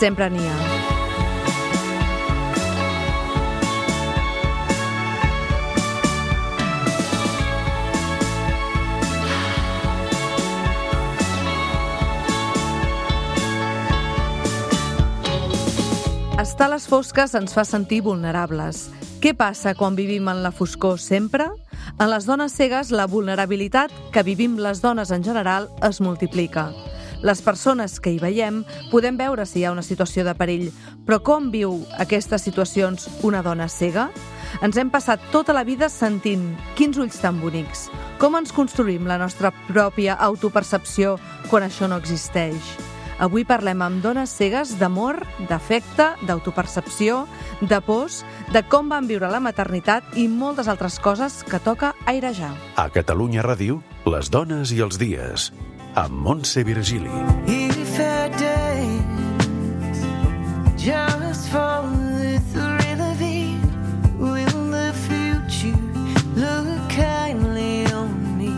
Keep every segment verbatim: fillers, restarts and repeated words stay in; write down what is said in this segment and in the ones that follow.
sempre n'hi ha. Estar a les fosques ens fa sentir vulnerables. Què passa quan vivim en la foscor sempre? En les dones cegues, la vulnerabilitat que vivim les dones en general es multiplica. Les persones que hi veiem podem veure si hi ha una situació de perill, però com viu aquestes situacions una dona cega? Ens hem passat tota la vida sentint quins ulls tan bonics. Com ens construïm la nostra pròpia autopercepció quan això no existeix? Avui parlem amb dones cegues d'amor, d'afecte, d'autopercepció, de pors, de com van viure la maternitat i moltes altres coses que toca airejar. A Catalunya Ràdio, les dones i els dies, amb Montse Virgili. If a day just fall the thrill of it, will the future look kindly on me?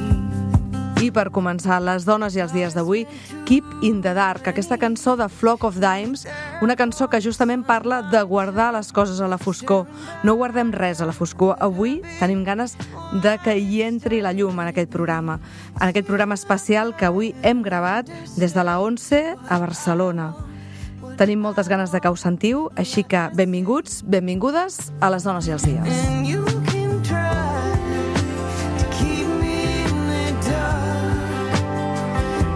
I per començar, les dones i els dies d'avui, Keep in the Dark, aquesta cançó de Flock of Dimes, una cançó que justament parla de guardar les coses a la foscor. No guardem res a la foscor. Avui tenim ganes de que hi entri la llum en aquest programa, en aquest programa especial que avui hem gravat des de la ONCE a Barcelona. Tenim moltes ganes de que ho sentiu, així que benvinguts, benvingudes a les dones i els dies. And you can try to keep me in the dark,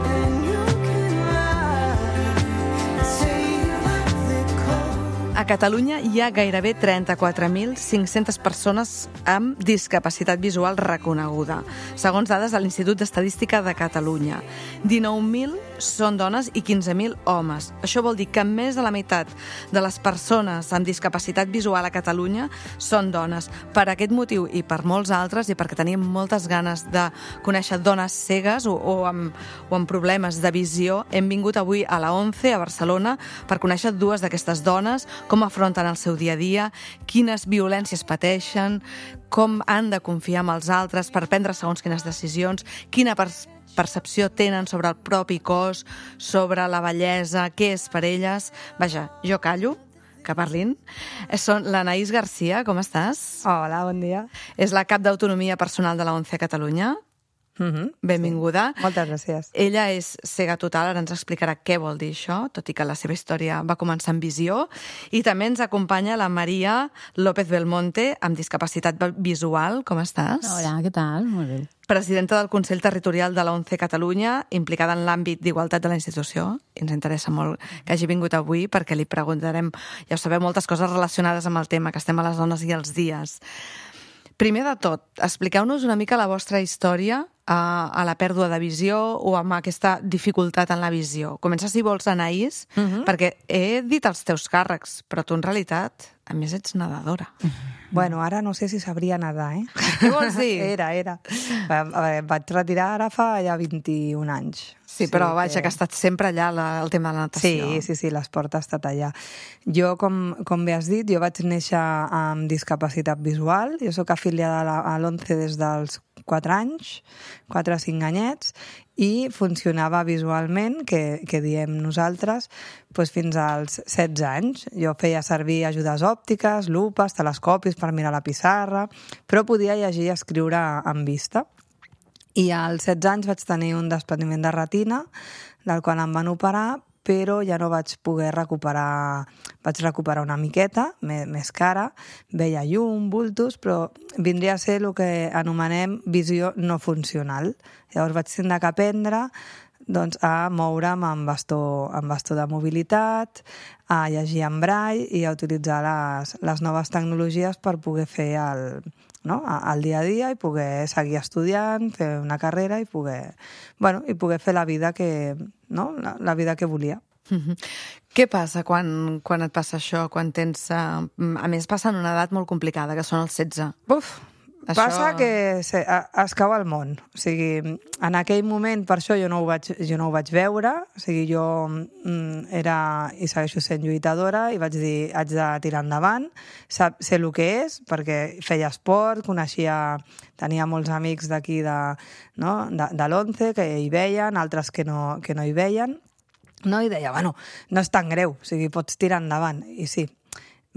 and you can lie, say you like the cold. A Catalunya hi ha gairebé trenta-quatre mil cinc-centes persones amb discapacitat visual reconeguda, segons dades de l'Institut d'Estadística de Catalunya. dinou mil són dones i quinze mil homes. Això vol dir que més de la meitat de les persones amb discapacitat visual a Catalunya són dones. Per aquest motiu i per molts altres, i perquè tenim moltes ganes de conèixer dones cegues o, o, amb, o amb problemes de visió, hem vingut avui a la ONCE a Barcelona per conèixer dues d'aquestes dones, com afronten el seu dia a dia, quines violències pateixen, com han de confiar en els altres per prendre segons quines decisions, quina perspectiva percepció tenen sobre el propi cos, sobre la bellesa, què és per elles. Vaja, jo callo, que parlin. Són l'Anaïs Garcia, com estàs? Hola, bon dia. És la cap d'Autonomia Personal de la ONCE a Catalunya. Mm-hmm. Benvinguda. Sí. Moltes gràcies. Ella és cega total, ara ens explicarà què vol dir això, tot i que la seva història va començar amb visió. I també ens acompanya la Maria López Belmonte, amb discapacitat visual. Com estàs? Hola, què tal? Molt bé. Presidenta del Consell Territorial de la ONCE Catalunya, implicada en l'àmbit d'igualtat de la institució. I ens interessa molt que hagi vingut avui perquè li preguntarem, ja ho sabeu, moltes coses relacionades amb el tema, que estem a les dones i els dies. Primer de tot, expliqueu-nos una mica la vostra història a, a la pèrdua de visió o amb aquesta dificultat en la visió. Comença, si vols, Anaïs, uh-huh. perquè he dit els teus càrrecs, però tu en realitat, a més, ets nedadora. Bueno, ara no sé si sabria nedar, eh? Què vols dir? Era, era. A veure, em vaig retirar ara fa ja vint-i-un anys. Sí, però vaja, que... que ha estat sempre allà la, el tema de la natació. Sí, sí, sí, l'esport ha estat allà. Jo, com, com bé has dit, jo vaig néixer amb discapacitat visual. Jo sóc afiliada a la- a l'ONCE des dels quatre anys, quatre o cinc anyets, i funcionava visualment, que, que diem nosaltres, doncs fins als setze anys. Jo feia servir ajudes òptiques, lupes, telescopis per mirar la pissarra, però podia llegir i escriure en vista. I als setze anys vaig tenir un despreniment de retina, del qual em van operar, però ja no vaig poder recuperar, vaig recuperar una miqueta, més, més cara, veia llum, bultos, però vindria a ser el que anomenem visió no funcional. Llavors vaig tindre que aprendre doncs, a moure'm amb bastó, amb bastó de mobilitat, a llegir en braille i a utilitzar les, les noves tecnologies per poder fer el, no? el dia a dia i poder seguir estudiant, fer una carrera i poder, bueno, i poder fer la vida que, no? la, la vida que volia. Uh-huh. Què passa quan, quan et passa això, quan tens... Uh, a més, passa en una edat molt complicada, que són els setze. Buf! Això... Passa que se, a, es cau el món. O sigui, en aquell moment, per això jo no ho vaig, jo no ho vaig veure. O sigui, jo mm, era i segueixo sent lluitadora i vaig dir, haig de tirar endavant. Sap, sé el que és, perquè feia esport, coneixia... Tenia molts amics d'aquí de, no? de, de l'ONCE que hi veien, altres que no, que no hi veien. no? I deia, bueno, no és tan greu, o sigui, pots tirar endavant. I sí,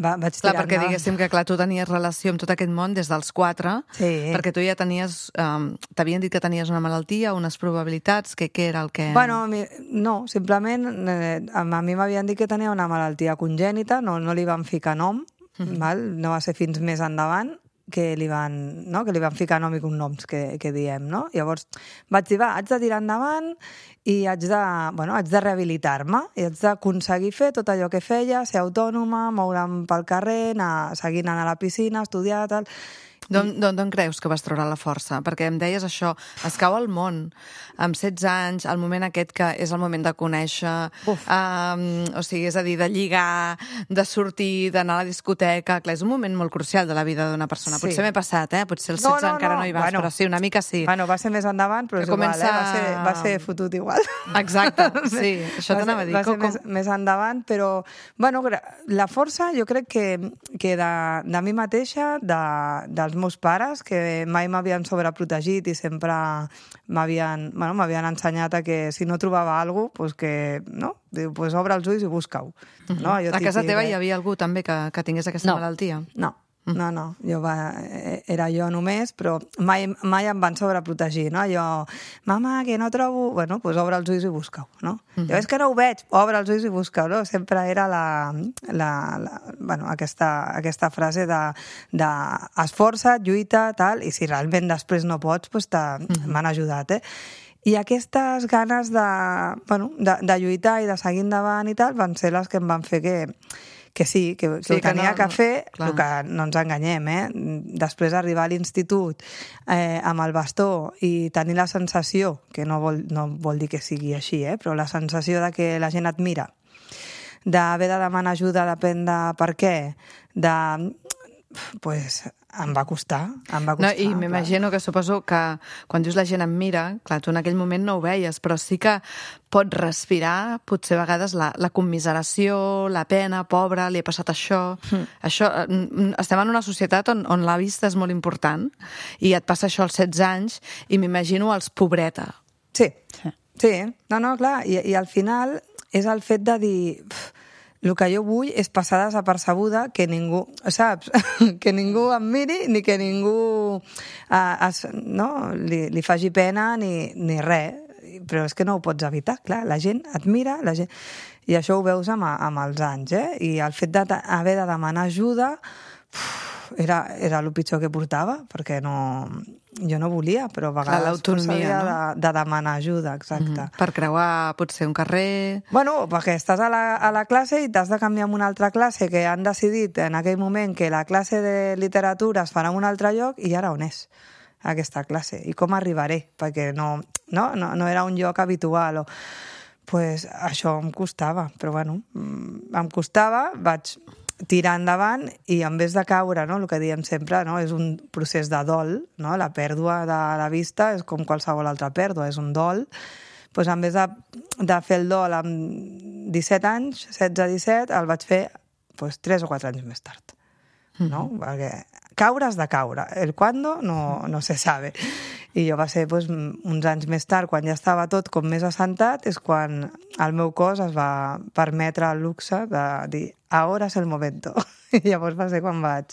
va, vaig Clar, tirar perquè endavant. diguéssim que clar, tu tenies relació amb tot aquest món des dels quatre, Sí. perquè tu ja tenies... Um, T'havien dit que tenies una malaltia, unes probabilitats, que què era el que... Bueno, a mi- no, simplement eh, a a mi m'havien dit que tenia una malaltia congènita, no, no li van ficar nom, val? No va ser fins més endavant que li van, no? que li van ficar nom i cognoms, que, que diem, no? Llavors vaig dir, va, haig de tirar endavant i haig de, bueno, haig de rehabilitar-me i haig d'aconseguir fer tot allò que feia, ser autònoma, moure'm pel carrer, anar, seguir anant a la piscina, estudiar, tal... D'on d'on- d'on creus que vas treure la força? Perquè em deies això, es cau al món, amb setze anys, el moment aquest que és el moment de conèixer, um, o sigui, és a dir, de lligar, de sortir, d'anar a la discoteca... Clar, és un moment molt crucial de la vida d'una persona. Sí. Potser m'he passat, eh? Potser als No, setze no, encara no. no hi vas, Bueno. però sí, una mica sí. Bueno, va ser més endavant, però Que és igual, comença- eh? va, ser, va ser fotut igual. Exacte, sí, això Va t'anava a ser- dir. Va ser Com- més, més endavant, però... Bueno, gra- la força jo crec que, que de, de mi mateixa, de, dels meus pares, que mai m'havien sobreprotegit i sempre m'havien bueno, m'havien ensenyat a que si no trobava alguna cosa, pues que, no? Diu, pues obre els ulls i busca-ho. No? Allò A casa típic, teva eh? hi havia algú també que, que tingués aquesta No. malaltia? No, no, no. Jo va, eh, era jo només, però mai, mai em van sobreprotegir, no? Jo, mama, que no trobo... Bueno, doncs pues obre els ulls i busca-ho, no? Mm -hmm. Jo, és que no ho veig, obre els ulls i busca-ho, no? Sempre era la, la, la, bueno, aquesta, aquesta frase de, de esforça't, lluita, tal, i si realment després no pots, doncs m'han mm -hmm. ajudat, eh? I aquestes ganes de, bueno, de, de lluitar i de seguir endavant i tal van ser les que em van fer que, que sí, que, que Sí, ho que tenia no- que fer, clar. el que no ens enganyem, eh? Després d'arribar a l'institut eh, amb el bastó i tenir la sensació, que no vol, no vol dir que sigui així, eh? Però la sensació de que la gent et mira, d'haver de demanar ajuda depèn de per què, de... pues em va costar, em va No, costar. I clar. m'imagino que suposo que quan dius la gent em mira, clar, tu en aquell moment no ho veies, però sí que pots respirar, potser a vegades la, la commiseració, la pena, pobre, li ha passat això... Mm. això mm, estem en una societat on, on la vista és molt important i et passa això als setze anys i m'imagino els pobreta. Sí, sí, no, no, clar, i, i al final és el fet de dir... Pff, el que jo vull és passar desapercebuda, que ningú, saps? Que ningú em miri ni que ningú eh, es, no? li, li faci pena ni, ni res. Però és que no ho pots evitar, clar. La gent et mira, la gent... i això ho veus amb, amb els anys, eh? I el fet d'haver de demanar ajuda uf, era, era el pitjor que portava, perquè no... jo no volia, però a vegades l'autonomia, s'havia no? de, de demanar ajuda, exacte. Mm -hmm. Per creuar potser un carrer... Bueno, perquè estàs a la, a la classe i t'has de canviar en una altra classe, que han decidit en aquell moment que la classe de literatura es farà en un altre lloc, i ara on és aquesta classe? I com arribaré? Perquè no, no, no, no era un lloc habitual. O... pues això em costava, però bueno, mm, em costava, vaig tirar endavant i en vez de caure, no, el que diem sempre, no, és un procés de dol, no? La pèrdua de la vista és com qualsevol altra pèrdua, és un dol. Pues en vez de, de fer el dol amb disset anys, setze disset, el vaig fer pues, tres o quatre anys més tard. No? Mm -hmm. Perquè caure has de caure. El cuándo no, no se sabe. I jo va ser pues, uns anys més tard, quan ja estava tot com més assentat, és quan el meu cos es va permetre el luxe de dir ahora es el momento. I llavors va ser quan vaig,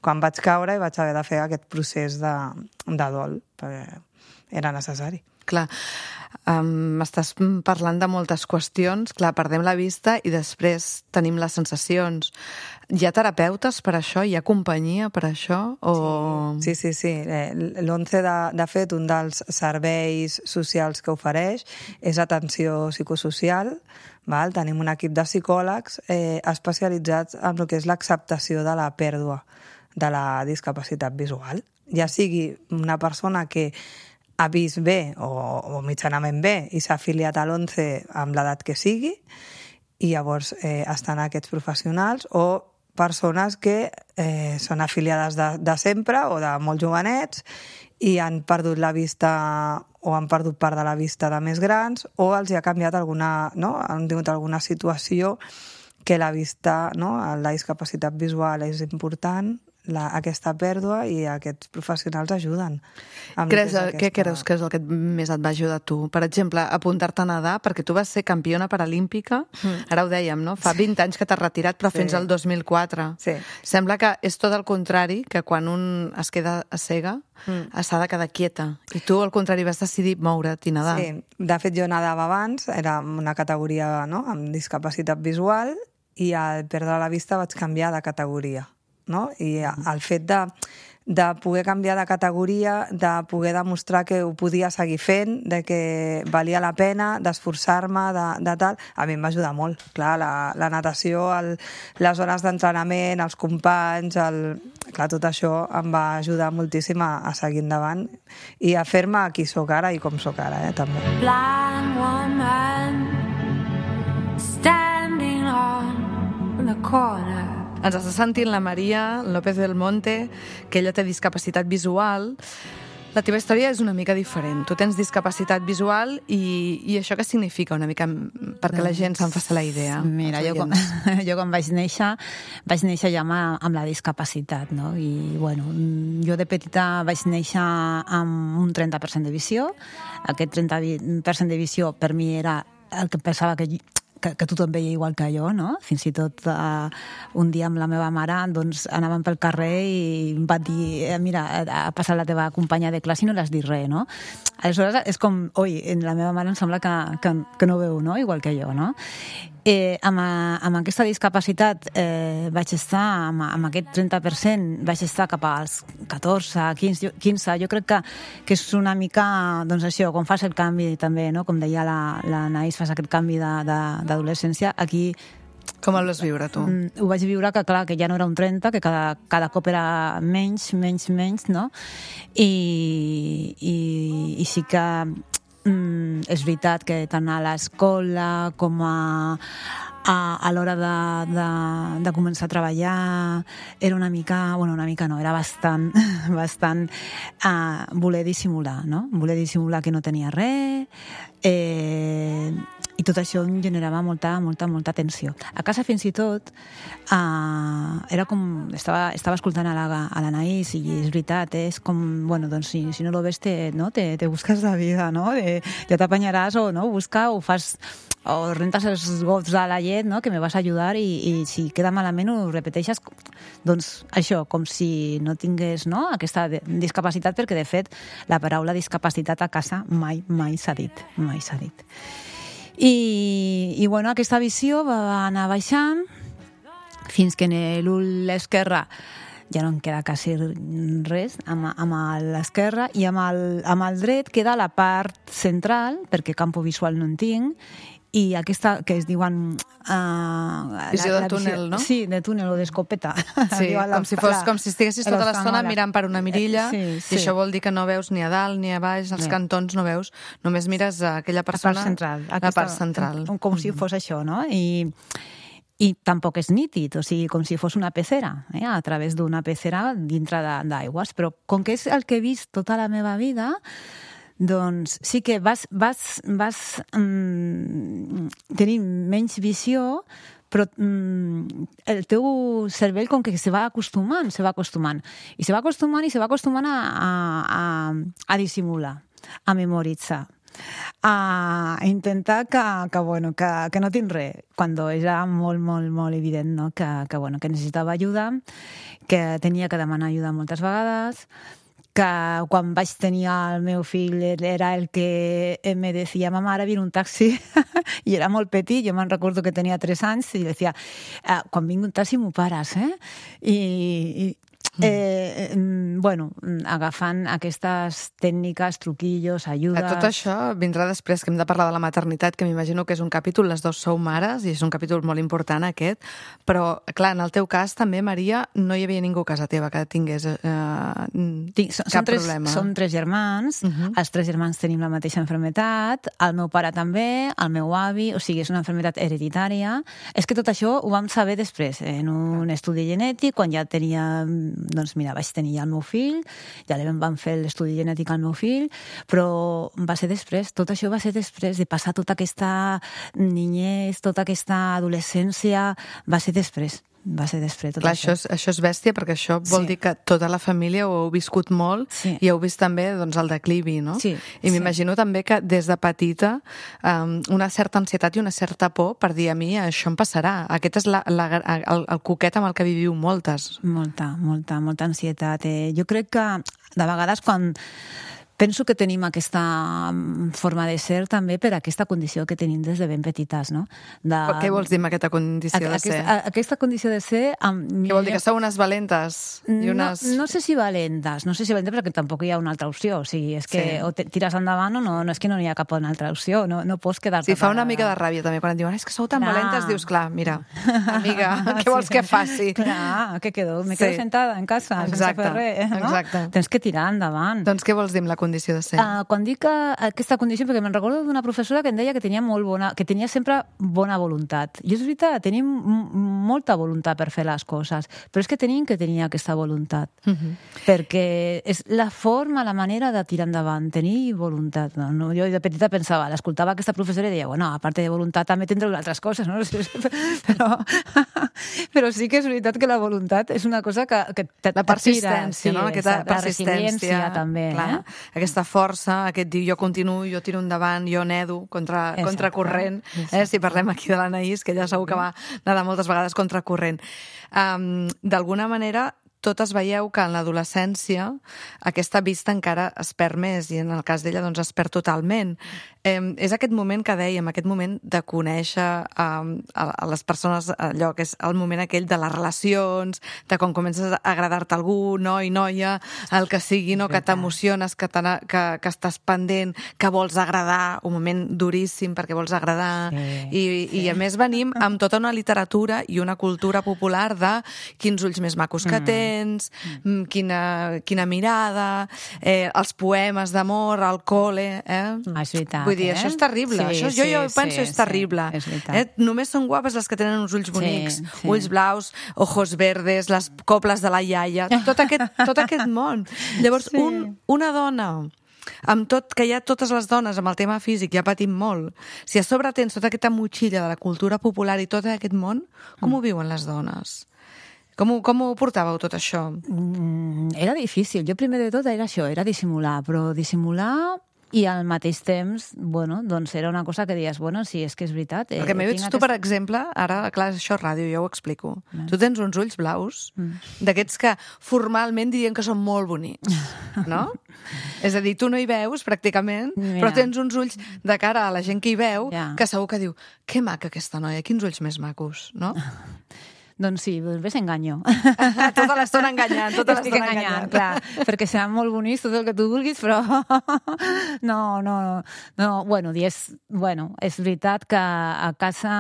quan vaig caure i vaig haver de fer aquest procés de, de dol, perquè era necessari. Clar, um, m'estàs parlant de moltes qüestions. Clar, perdem la vista i després tenim les sensacions. Hi ha terapeutes per això? Hi ha companyia per això? O... Sí, sí, sí. L'ONCE, de, de fet, un dels serveis socials que ofereix és atenció psicosocial. Val? Tenim un equip de psicòlegs eh, especialitzats en el que és l'acceptació de la pèrdua de la discapacitat visual. Ja sigui una persona que ha vist bé o, o mitjanament bé i s'ha afiliat a l'ONCE amb l'edat que sigui, i llavors eh, estan aquests professionals, o persones que eh, són afiliades de, de sempre o de molt jovenets i han perdut la vista o han perdut part de la vista de més grans, o els hi ha canviat alguna, no? Han tingut alguna situació que la vista, no? La discapacitat visual és important, la, aquesta pèrdua i aquests professionals ajuden. amb Creus, tota Què aquesta- creus que és el que més et va ajudar a tu? Per exemple, apuntar-te a nedar, perquè tu vas ser campiona paralímpica, ara ho dèiem, no? Fa vint anys que t'has retirat, però Sí. fins al dos mil quatre. Sí. Sembla que és tot el contrari, que quan un es queda a cega, Mm. s'ha de quedar quieta. I tu, al contrari, vas decidir moure't i nedar. Sí, de fet jo nedava abans, era una categoria, no?, amb discapacitat visual, i al perdre la vista vaig canviar de categoria, no? I el fet de, de poder canviar de categoria, de poder demostrar que ho podia seguir fent, de que valia la pena, d'esforçar-me, de, de tal, a mi em va ajudar molt. Clar, la, la natació, el, les hores d'entrenament, els companys, el, clar, tot això em va ajudar moltíssim a, a seguir endavant i a fer-me qui sóc ara i com sóc ara, eh, també. Blind woman standing on the corner. Ens està sentint la Maria López del Monte, que ella té discapacitat visual. La teva història és una mica diferent. Tu tens discapacitat visual i, i això què significa una mica perquè la gent se'n faci la idea? Mira, els jo quan, oients? jo quan vaig néixer, vaig néixer ja amb, amb la discapacitat, no? I, bueno, jo de petita vaig néixer amb un trenta per cent de visió. Aquest trenta per cent de visió per mi era el que pensava que, que, que tothom veia igual que jo, no? Fins i tot uh, un dia amb la meva mare doncs, anàvem pel carrer i em va dir, eh, mira, ha passat la teva companya de classe i no l'has dit res, no? Aleshores és com, oi, la meva mare em sembla que, que, que no veu, no? Igual que jo, no? Eh, amb, amb aquesta discapacitat eh, vaig estar, amb, amb aquest trenta per cent, vaig estar cap als catorze, quinze, quinze. Jo crec que, que és una mica, doncs això, quan fas el canvi també, no? Com deia la, la Naís, fas aquest canvi de, de, d'adolescència, aquí Com el vas viure, tu? Mm, ho vaig viure que, clar, que ja no era un trenta, que cada, cada cop era menys, menys, menys, no? I, i, i sí que mm, és veritat que tant a l'escola com a, a, a l'hora de, de, de començar a treballar era una mica, bueno, una mica no, era bastant, bastant uh, voler dissimular, no? Voler dissimular que no tenia res, eh, i tot això em generava molta, molta, molta tensió. A casa, fins i tot, uh, era com... Estava, estava escoltant a la, a la Naís i és veritat, eh? És com... Bueno, doncs si, si no lo ves, te, no? te, te busques la vida, no? De, ja t'apanyaràs o no? Busca o fas... o rentes els gots de la llet, no? Que me vas a ajudar i, i si queda malament ho repeteixes. Doncs això, com si no tingués, no? Aquesta discapacitat, perquè de fet la paraula discapacitat a casa mai, mai s'ha dit. Mai s'ha dit. I, i bueno, aquesta visió va anar baixant fins que en l'ull esquerre ja no em queda quasi res amb, amb l'esquerre i amb el, amb el dret queda la part central, perquè campo visual no en tinc, i aquesta que es diuen... Uh, Visió de túnel, no? Sí, de túnel o d'escopeta. Sí, com si, fos, com si estiguessis tota l'estona mirant per una mirilla, sí, sí. i això vol dir que no veus ni a dalt ni a baix, als Sí. cantons no veus, només mires a aquella persona... La part central. La Aquesta, part central. Com si fos això, no? I, i tampoc és nítid, o sigui, com si fos una pecera, eh? A través d'una pecera dintre d'aigües. Però com que és el que he vist tota la meva vida, doncs sí que vas, vas, vas um, tenir menys visió, però mm, el teu cervell com que se va acostumant, se va acostumant. I se va acostumant i se va acostumant a, a, a, a dissimular, a memoritzar, a intentar que, que, bueno, que, que no tinc res, quan era molt, molt, molt evident, no? que, que, bueno, que necessitava ajuda, que tenia que demanar ajuda moltes vegades, que quan vaig tenir el meu fill era el que me deia, mama, ara viene un taxi, i era molt petit, jo me'n recordo que tenia tres anys, i deia, quan vingui un taxi m'ho pares, eh? I, i eh, bueno, agafant aquestes tècniques, truquillos, ajudes... Tot això vindrà després, que hem de parlar de la maternitat, que m'imagino que és un capítol, les dues sou mares, i és un capítol molt important aquest, però, clar, en el teu cas també, Maria, no hi havia ningú a casa teva que tingués eh, Tinc, són, cap tres, problema. Som tres germans, uh -huh. Els tres germans tenim la mateixa enfermetat, el meu pare també, el meu avi, o sigui, és una enfermetat hereditària. És que tot això ho vam saber després, en un estudi genètic, quan ja tenia... Doncs mira, vaig tenir ja el meu fill, ja li vam fer l'estudi genètic al meu fill, però va ser després, tot això va ser després de passar tota aquesta niñez, tota aquesta adolescència, va ser després. va ser després tot Clar, això. això és, això és bèstia, perquè això vol Sí. dir que tota la família ho heu viscut molt Sí. i heu vist també doncs, el declivi, no? Sí, I sí. m'imagino també que des de petita um, una certa ansietat i una certa por per dir a mi això em passarà. Aquest és la, la, el, el coquet amb el que viviu moltes. Molta, molta, molta ansietat. Eh, jo crec que de vegades quan penso que tenim aquesta mm, forma de ser també per aquesta condició que tenim des de ben petites, no? De... Què vols dir amb aquesta condició de ser? Aquesta, aquesta condició de ser... Amb... Què vol dir? Que sou unes valentes? I unes... No, no sé si valentes, no sé si valentes perquè tampoc hi ha una altra opció. O sigui, és que Sí. o te tires endavant o no, no és que no hi ha cap una altra opció, no, no pots quedar-te... Sí, fa una parada. mica de ràbia també quan et diuen és que sou tan Clar. valentes, dius, clar, mira, amiga, què vols que faci? Clar, què quedo? Me quedo Sí. sentada en casa Exacte, sense fer res, no? exacte. Tens que tirar endavant. Doncs què vols dir amb la condició de ser? Uh, quan dic que aquesta condició, perquè me'n recordo d'una professora que em deia que tenia molt bona, que tenia sempre bona voluntat. I és veritat, tenim m- molta voluntat per fer les coses, però és que tenim que tenir aquesta voluntat. Uh -huh. Perquè és la forma, la manera de tirar endavant, tenir voluntat. No? No, jo de petita pensava, l'escoltava aquesta professora i deia, bueno, a part de voluntat també tindreu altres coses, no? però, però sí que és veritat que la voluntat és una cosa que, que te, La persistència, te tira, no? Aquesta exacte, persistència. La resiliència també. Clar, Eh? aquesta força, aquest dir jo continuo, jo tiro endavant, jo nedo contra, Exacte, contra corrent. Eh? exacte. Si parlem aquí de l'Anaïs, que ja segur que va nedar moltes vegades contra corrent. Um, D'alguna manera, totes veieu que en l'adolescència aquesta vista encara es perd més i en el cas d'ella doncs es perd totalment. Eh, és aquest moment que dèiem, aquest moment de conèixer eh, a, a les persones, allò que és el moment aquell de les relacions, de quan comences a agradar-te algú, noi, noia, el que sigui, no? Que t'emociones, que, que, que estàs pendent, que vols agradar, un moment duríssim perquè vols agradar, Sí, i, sí. i a més venim amb tota una literatura i una cultura popular de quins ulls més macos que tens, mm. quina, quina mirada, eh, els poemes d'amor, al cole... Eh? Ah, és veritat. Vull dir, eh? això és terrible. Sí, això, jo, sí, jo penso sí, és terrible. Sí, és veritat. eh? Només són guapes les que tenen uns ulls bonics, Sí, sí. ulls blaus, ojos verdes, les coples de la iaia, tot aquest, tot aquest món. Llavors, Sí. un, una dona amb tot, que ja totes les dones amb el tema físic ja patim molt, si a sobre tens tota aquesta motxilla de la cultura popular i tot aquest món, com ho viuen les dones? Com ho, com ho portàveu tot això? Mm, era difícil. Jo primer de tot era això, era dissimular, però dissimular i al mateix temps, bueno, doncs era una cosa que deies, bueno, sí, és que és veritat. Eh, Perquè m'he vist tinc tu, per aquesta- exemple, ara, clar, això és ràdio, jo ho explico. Tu tens uns ulls blaus, Mm. d'aquests que formalment dirien que són molt bonics, no? És a dir, tu no hi veus, pràcticament, Mira. però tens uns ulls de cara a la gent que hi veu, Ja. que segur que diu, que maca aquesta noia, quins ulls més macos, no? Doncs sí, doncs ves enganyo. Tota l'estona enganyant, tota Estic l'estona enganyant, enganyant. clar, perquè seran molt bonics tot el que tu vulguis, però no, no, no, bueno, és, bueno, és veritat que a casa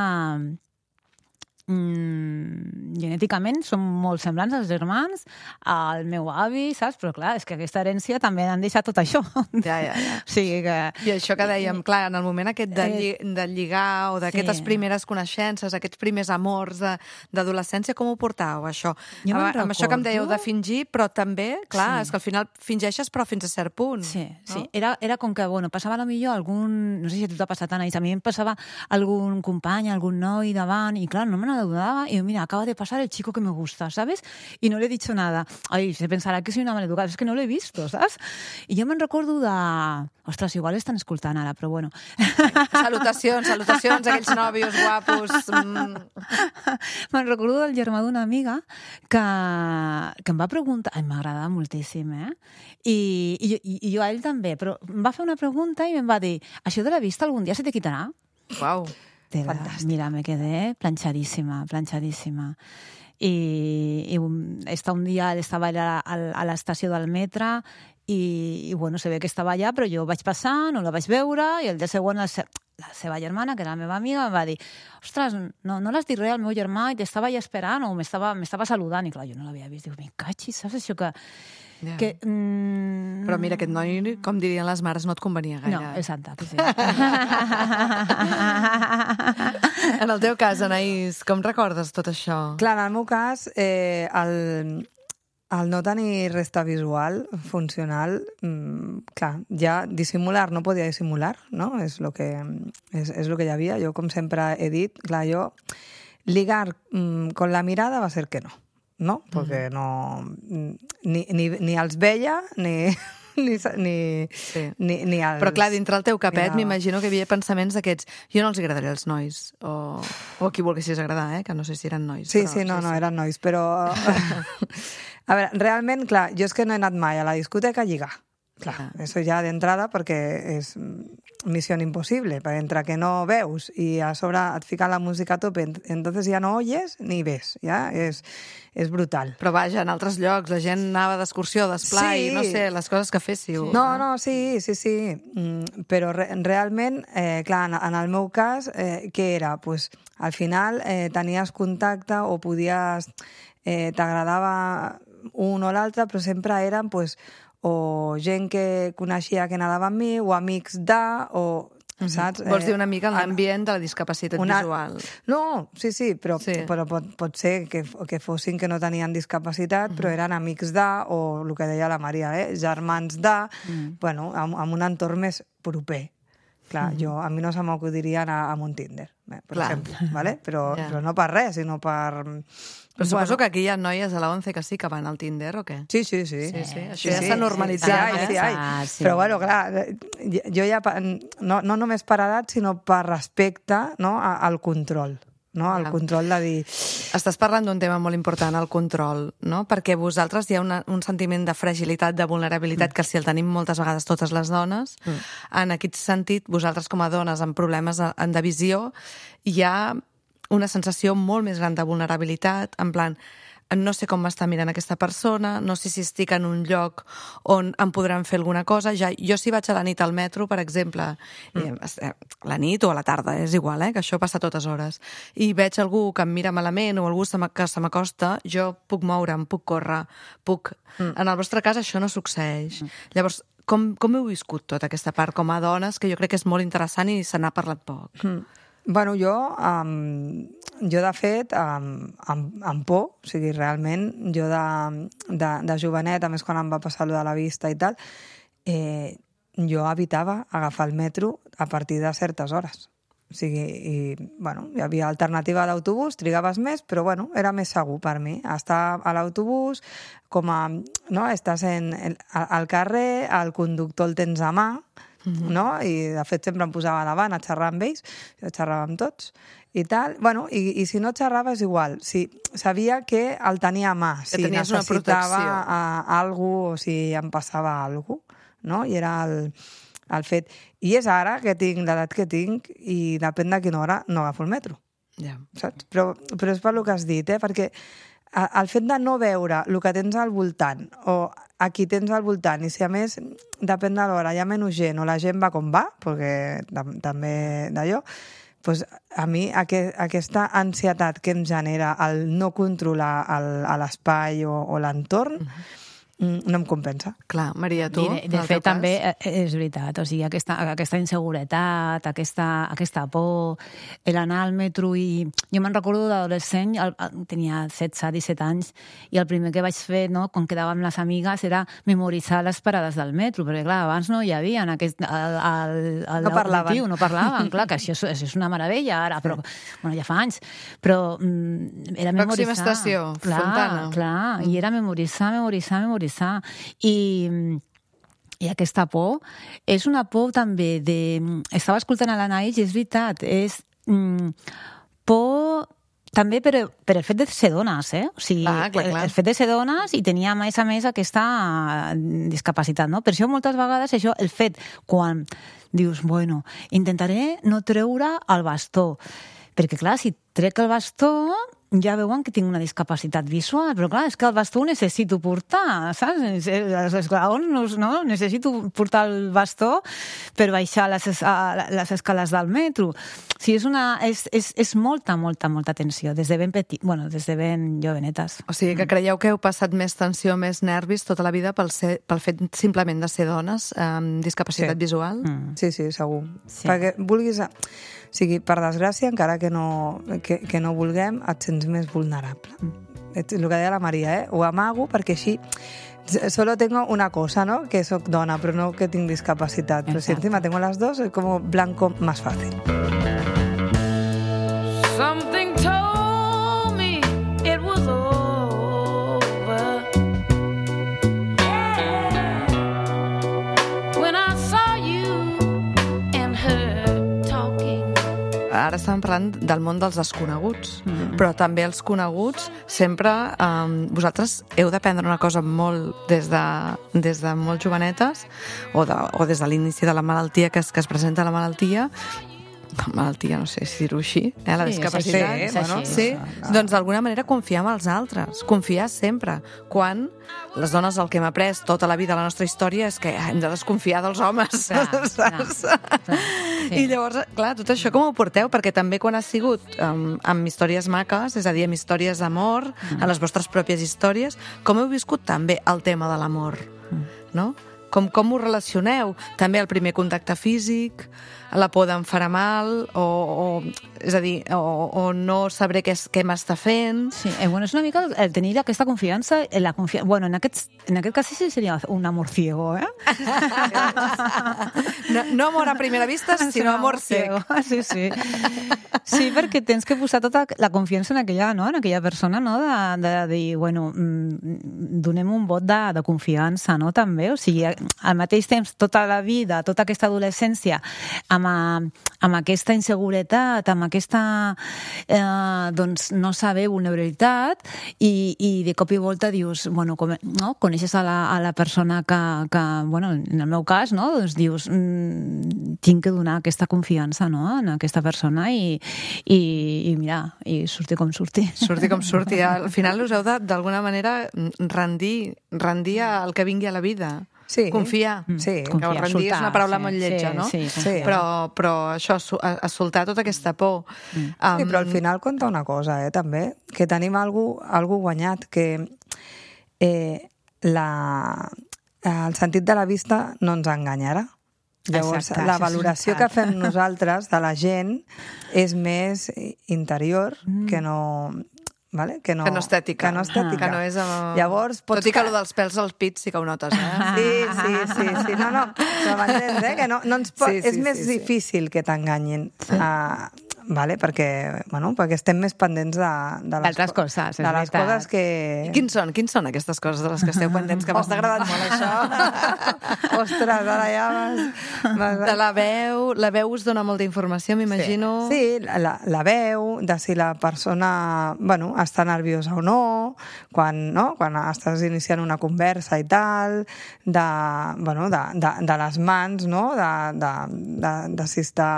mm, genèticament som molt semblants als germans, al meu avi, saps? Però clar, és que aquesta herència també han deixat tot això. Ja, ja, ja. O sigui que... I això que dèiem, clar, en el moment aquest de, lli de lligar o d'aquestes Sí. primeres coneixences, aquests primers amors de- d'adolescència, com ho portàveu, això? Jo me'n amb, amb això que em dèieu de recordo. fingir, però també, clar, Sí. és que al final fingeixes però fins a cert punt. Sí, sí. No? Era, era com que, bueno, passava a la millor algun... No sé si a tu t'ha passat, Anaïs, a mi em passava algun company, algun noi davant, i clar, no me n'adonava, i mira, acaba de pasar el chico que me gusta, ¿sabes? Y no le he dicho nada. Ay, se pensarà que soy una maleducada, es que no l'he visto, saps? I jo me'n recordo de... Ostres, igual estan escoltant ara, però bueno. Salutacions, salutacions a aquells nòvios guapos. Mm. Me'n recordo del germà d'una amiga que, que em va preguntar... Ai, m'agradava moltíssim, eh? I, i, jo- i, I jo a ell també, però em va fer una pregunta i em va dir, això de la vista algun dia se te quitarà? Uau. Tela, mira, me quedé planchadísima, planchadísima. I, i un, esta un dia estava allà a, a l'estació del metre i, i bueno, se ve que estava allà, però jo vaig passar, no la vaig veure, i el dia següent la, se, la seva germana, que era la meva amiga, em va dir, ostres, no, no l'has dit res al meu germà i t'estava allà esperant o m'estava m'estava saludant. I clar, jo no l'havia vist. Dic, me cachis, saps això que... Ja. que mm, Però mira, aquest noi, com dirien les mares, no et convenia gaire. No, exacte, sí. En el teu cas, Anaïs, com recordes tot això? Clar, en el meu cas, eh, el, el no tenir resta visual funcional, mm, clar, ja dissimular no podia dissimular, no? És lo que, és, és lo que hi havia. Jo, com sempre he dit, clar, jo ligar mm, con la mirada va a ser que no, ¿no? Porque no... Ni, ni, ni els veia, ni... Ni, ni, Sí. ni, ni els... Però clar, dintre el teu capet mirava. m'imagino que hi havia pensaments d'aquests jo no els agradaré als nois, o, o a qui volguessis agradar, eh? Que no sé si eren nois. Sí, però, sí, no, no, eren nois, però... A veure, realment, clar, jo és que no he anat mai a la discoteca a lligar. Clar, Clar. eso ja d'entrada perquè és missió impossible, perquè entre que no veus i a sobre et fica la música a tope, entonces ja no oyes ni ves, ja? És, és brutal. Però vaja, en altres llocs la gent anava d'excursió, d'esplai, Sí. no sé, les coses que féssiu. No, no, sí, sí, sí. Mm, però re realment, eh, clar, en, en el meu cas, eh, què era? Pues, al final eh, tenies contacte o podies... Eh, t'agradava un o l'altre, però sempre eren pues, o gent que coneixia que anava amb mi, o amics de, o... Saps? Vols dir una Eh, mica en l'ambient de la discapacitat una- visual. No, sí, sí, però, Sí. sí. però pot, pot ser que, que fossin que no tenien discapacitat, però eren amics de, o el que deia la Maria, eh? germans de, mm. bueno, amb, amb un entorn més proper. Clar, mm. jo, a mi no se m'acudiria anar amb un Tinder, eh, per Clar. exemple, ¿vale? però, Ja. però no per res, sinó per... Però suposo que aquí hi ha noies a la ONCE que sí que van al Tinder, o què? Sí, sí, sí. Sí, sí, això ja s'ha normalitzat, Sí, ai, eh? sí, ai. Ah, sí. Però, bueno, clar, jo ja, pa- no, no només per edat, sinó per respecte, no?, a- al control, no?, al Ja. control de dir... Estàs parlant d'un tema molt important, el control, no? Perquè vosaltres hi ha una, un sentiment de fragilitat, de vulnerabilitat, mm. que si el tenim moltes vegades totes les dones, mm. en aquest sentit, vosaltres com a dones amb problemes de, de visió, hi ha una sensació molt més gran de vulnerabilitat, en plan, no sé com m'està mirant aquesta persona, no sé si estic en un lloc on em podran fer alguna cosa. Ja, jo si vaig a la nit al metro, per exemple, mm. eh, la nit o a la tarda, és igual, eh, que això passa a totes hores, i veig algú que em mira malament o algú se m'ac- que se m'acosta, jo puc moure'm, puc córrer, puc... Mm. En el vostre cas això no succeeix. Mm. Llavors, com, com heu viscut tota aquesta part com a dones, que jo crec que és molt interessant i se n'ha parlat poc? Mm. Bueno, jo, um, jo de fet, um, amb, amb por, o sigui, realment, jo de, de, de jovenet, a més quan em va passar allò de la vista i tal, eh, jo evitava agafar el metro a partir de certes hores. O sigui, i, bueno, hi havia alternativa d'autobús, trigaves més, però, bueno, era més segur per mi. Estar a l'autobús, com a... No? Estàs en, en, al carrer, el conductor el tens a mà, Mm-hmm. no? I de fet sempre em posava davant a xerrar amb ells, jo xerrava amb tots i tal, bueno, i, i si no xerrava és igual, si sabia que el tenia a mà, si tenies una necessitava protecció. a, a algú o si em passava alguna cosa, no? I era el, el fet. I és ara que tinc l'edat que tinc i depèn de quina hora no agafo el metro, Ja. saps? Però, però és per lo que has dit, eh? Perquè a- el fet de no veure el que tens al voltant o a qui tens al voltant, i si a més depèn de l'hora, hi ha menys gent o la gent va com va, perquè tam també d'allò, doncs a mi aqu aquesta ansietat que em genera el no controlar l'espai o, o l'entorn mm, no em compensa. Clar, Maria, tu, I de, en de el fet, teu també cas? eh, és veritat, o sigui, aquesta, aquesta inseguretat, aquesta, aquesta por, l'anar al metro i... Jo me'n recordo d'adolescent, el- el- tenia setze, disset anys, i el primer que vaig fer, no, quan quedava amb les amigues, era memoritzar les parades del metro, perquè, clar, abans no hi havia en aquest... El, el, el No parlaven. auditiu, no parlaven, clar, que això és, això és una meravella ara, però, bueno, ja fa anys, però mm, era memoritzar. Pròxima estació, clar, Fontana. Clar, i era memoritzar, memoritzar, memoritzar. I, i aquesta por és una por també de... Estava escoltant a l'Anaïs i és veritat, és mm, por també per, per el fet de ser dones, eh? O sigui, Clar, clar, clar. el fet de ser dones i tenir a més a més aquesta discapacitat, no? Per això moltes vegades això, el fet quan dius, bueno, intentaré no treure el bastó, perquè clar, si trec el bastó ja veuen que tinc una discapacitat visual, però clar, és que el bastó ho necessito portar, saps? Els esglaons, no? Necessito portar el bastó per baixar les, es- a- les escales del metro. O sigui, és, una, és, és, és molta, molta, molta tensió, des de ben petit, bueno, des de ben jovenetes. O sigui, que creieu que heu passat més tensió, més nervis tota la vida pel, ser, pel fet simplement de ser dones amb discapacitat Sí. visual? Mm. Sí, sí, segur. Sí. Perquè vulguis... O sigui, per desgràcia, encara que no, que, que no vulguem, et sents més vulnerable. És el que deia la Maria, eh? Ho amago perquè així solo tengo una cosa, ¿no? Que soc dona, però no que tinc discapacitat. Però si Exacto. encima tengo las dos, es como blanco más fácil. Something told ara estàvem parlant del món dels desconeguts, Mm. però també els coneguts sempre... Um, vosaltres heu d'aprendre una cosa molt des de, des de molt jovenetes o, de, o des de l'inici de la malaltia que es, que es presenta la malaltia, malaltia, no sé si dir-ho així, eh, la Sí, és discapacitat. així, és bueno, així, sí, això, doncs d'alguna manera confiar en els altres, confiar sempre. Quan les dones el que hem après tota la vida a la nostra història és que hem de desconfiar dels homes, Clar, saps? clar, clar, sí. I llavors, clar, tot això com ho porteu? Perquè també quan ha sigut um, amb històries maques, és a dir, amb històries d'amor, Mm. en les vostres pròpies històries, com heu viscut també el tema de l'amor, Mm. no? Com, com ho relacioneu? També el primer contacte físic, la por d'en farà mal, o, o, és a dir, o, o no sabré què, és- què m'està fent... Sí, eh, bueno, és una mica el tenir aquesta confiança, eh, la confi... bueno, en aquest, en aquest cas sí seria un amor ciego, eh? No, no amor a primera vista, sinó amor sec. Sí, sí. Sí, perquè tens que posar tota la confiança en aquella, no? en aquella persona, no? de, de dir, bueno, mm, donem un vot de, de confiança, no? també. O sigui, al mateix temps, tota la vida, tota aquesta adolescència, amb, a, amb aquesta inseguretat, amb aquesta eh, doncs no saber vulnerabilitat, i, i de cop i volta dius, bueno, com, no? coneixes a la, a la persona que, que, bueno, en el meu cas, no? doncs dius, mm, tinc que donar aquesta confiança, no? en aquesta persona i, i, i mira, i surti com surti. Surti com surti. Al final us heu de, d'alguna manera, rendir, rendir al que vingui a la vida. Sí. Confiar. Sí. Que Confiar, rendir és soltar, una paraula sí, molt lletja, sí, no? sí, confiar. Però, però això, su- a, a soltar tota aquesta por. Mm. Um, Sí, però al final compta una cosa, eh, també, que tenim algú, algú guanyat, que eh, la, el sentit de la vista no ens enganyarà. Llavors, Exacte, la això és valoració que veritat. fem nosaltres de la gent és més interior que no... Vale? Que no, que no estètica. Que no estètica. Que no és... Uh... Llavors, pots Tot i que allò dels pèls als pits sí que ho notes, eh? Sí, sí, sí, sí. No, no, però m'entens, eh? Que no, no ens pot... Sí, Sí, sí, és més sí, sí. difícil que t'enganyin. Sí. Uh, vale? perquè, bueno, perquè estem més pendents de, de les, D'altres coses, és de les veritat. coses que... I quins són? Quins són aquestes coses de les que esteu pendents? Que m'està agradant molt, això. Ostres, ara ja vas... vas... De la veu, la veu us dona molta informació, m'imagino. Sí, la, la veu, de si la persona bueno, està nerviosa o no, quan, no? quan estàs iniciant una conversa i tal, de, bueno, de, de, de les mans, no? de, de, de, de si està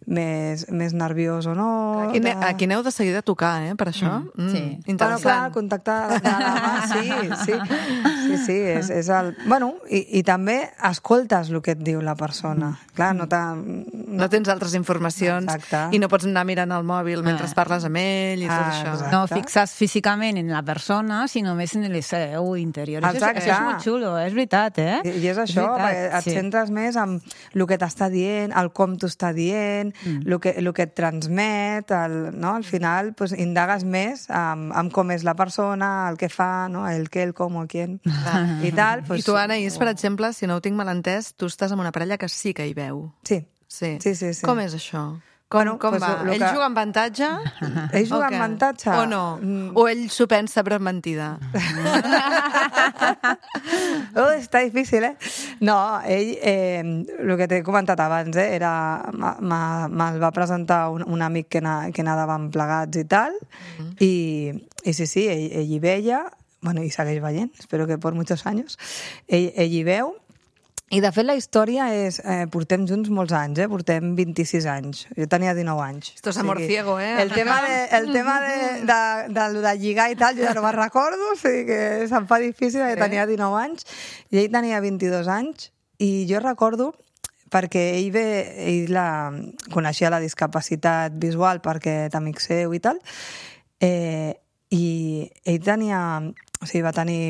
més, més nerviós o no. Aquí, de... ne- aquí aneu de seguida a tocar, eh, per això. Mm, sí. Bueno, Interessant. clar, el contacte de la mà, sí, sí, sí, sí, és, és el... Bueno, i, i també escoltes el que et diu la persona. Clar, no t'ha... No tens altres informacions Exacte. i no pots anar mirant el mòbil mentre Ah. parles amb ell i tot Ah, això. exacte. No fixes físicament en la persona, sinó més en el seu interior. Això, és- Exacte. això és molt xulo, és veritat, eh? I, I és això, veritat, perquè et sí. centres més en el que t'està dient, el com t'ho està dient, Mm. el, que, el que et transmet, el, no? al final pues, indagues més amb, amb com és la persona, el que fa, no? el què, el com, el qui, i tal. Pues, I tu, Anaïs, per exemple, si no ho tinc mal entès, tu estàs amb una parella que sí que hi veu. Sí, Sí. Sí, sí, sí. Com és això? Com, Bueno, com pues, va? lo Ell que- juga amb avantatge? Ell juga O amb què? avantatge? O no? Mm. O ell s'ho pensa però és mentida? Oh, està difícil, eh? No, ell, eh, el que t'he comentat abans, eh, era, m'ha- m'ha- me'l va presentar un, un amic que, na, que anàvem plegats i tal, i, i sí, sí, ell, ell hi veia, bueno, i segueix veient, espero que per muchos anys, ell, ell hi veu, i de fet la història és, eh, portem junts molts anys, eh? portem vint-i-sis anys, jo tenia dinou anys. Esto es amor ciego, eh? El tema, de, el tema de, de, de, de, de lligar i tal, jo ja no me'n recordo, o sigui que se'm fa difícil, sí. Tenia dinou anys, i ell tenia vint-i-dos anys, i jo recordo perquè ell, ve, ell la, coneixia la discapacitat visual perquè és amic seu i tal, eh, i ell tenia, o sigui, va tenir,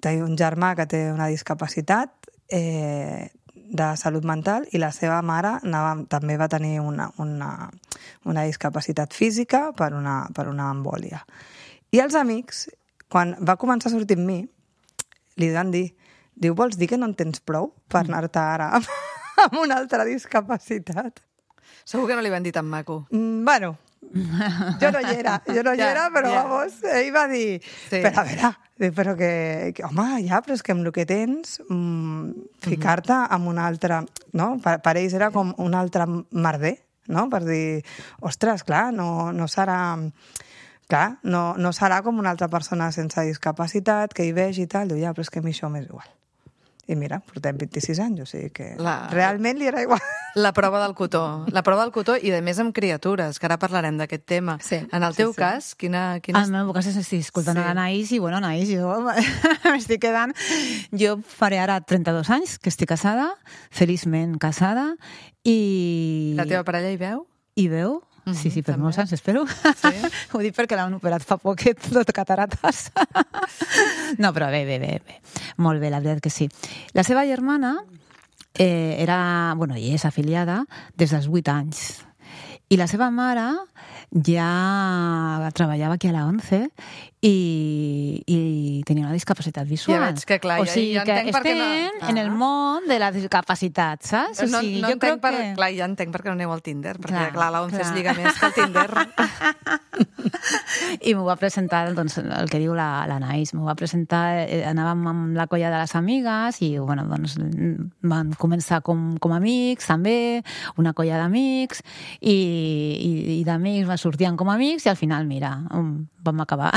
té un germà que té una discapacitat eh, de salut mental i la seva mare anava, també va tenir una, una, una discapacitat física per una, per una embòlia. I els amics, quan va començar a sortir amb mi, li van dir, diu, vols dir que no en tens prou per anar-te ara amb, amb una altra discapacitat? Segur que no li van dir tan maco. Mm, bueno, jo no hi era, jo no hi Ja, era, però ja. vamos, ell va dir, Sí. però a veure, dic, però que, que, home, ja, però és que amb el que tens, mm, ficar-te amb un altre, no? Per, per ells era com un altre merder, no? Per dir, ostres, clar, no, no serà... Clar, no, no serà com una altra persona sense discapacitat, que hi vegi i tal, diu, ja, però és que a mi això m'és igual. I mira, portem vint-i-sis anys, o sigui que La- realment li era igual. La prova del cotó. La prova del cotó i, a més, amb criatures, que ara parlarem d'aquest tema. Sí, En el sí, teu sí. cas, quina... quina... En el meu cas estic escoltant Sí. sí. l'Anaïs i, bueno, Anaïs, jo m'estic quedant... Jo faré ara trenta-dos anys que estic casada, feliçment casada, i... La teva parella hi veu? I veu? Mhm, Sí, sí, per també. molts anys, espero. Sí? Ho dic perquè l'han operat fa poquet, tot catarates. No, però bé, bé, bé, bé. Molt bé, la veritat que sí. La seva germana eh, era, bueno, i és afiliada des dels vuit anys. I la seva mare ja treballava aquí a la ONCE i, i tenia una discapacitat visual. Ja veig que, clar, o ja- sigui ja que entenc per què no- estem en el Ah. món de la discapacitat, saps? O No, sigui, no jo entenc crec per... que... Clar, ja entenc per què no aneu al Tinder, perquè, clar, Clar, la ONCE es clar. lliga més que el Tinder. I m'ho va presentar, doncs, el que diu la, la Naís, m'ho va presentar, eh, anàvem amb la colla de les amigues i, bueno, doncs, van començar com, com amics, també, una colla d'amics, i, i, i d'amics va sortien com amics, i al final, mira, um, vam acabar.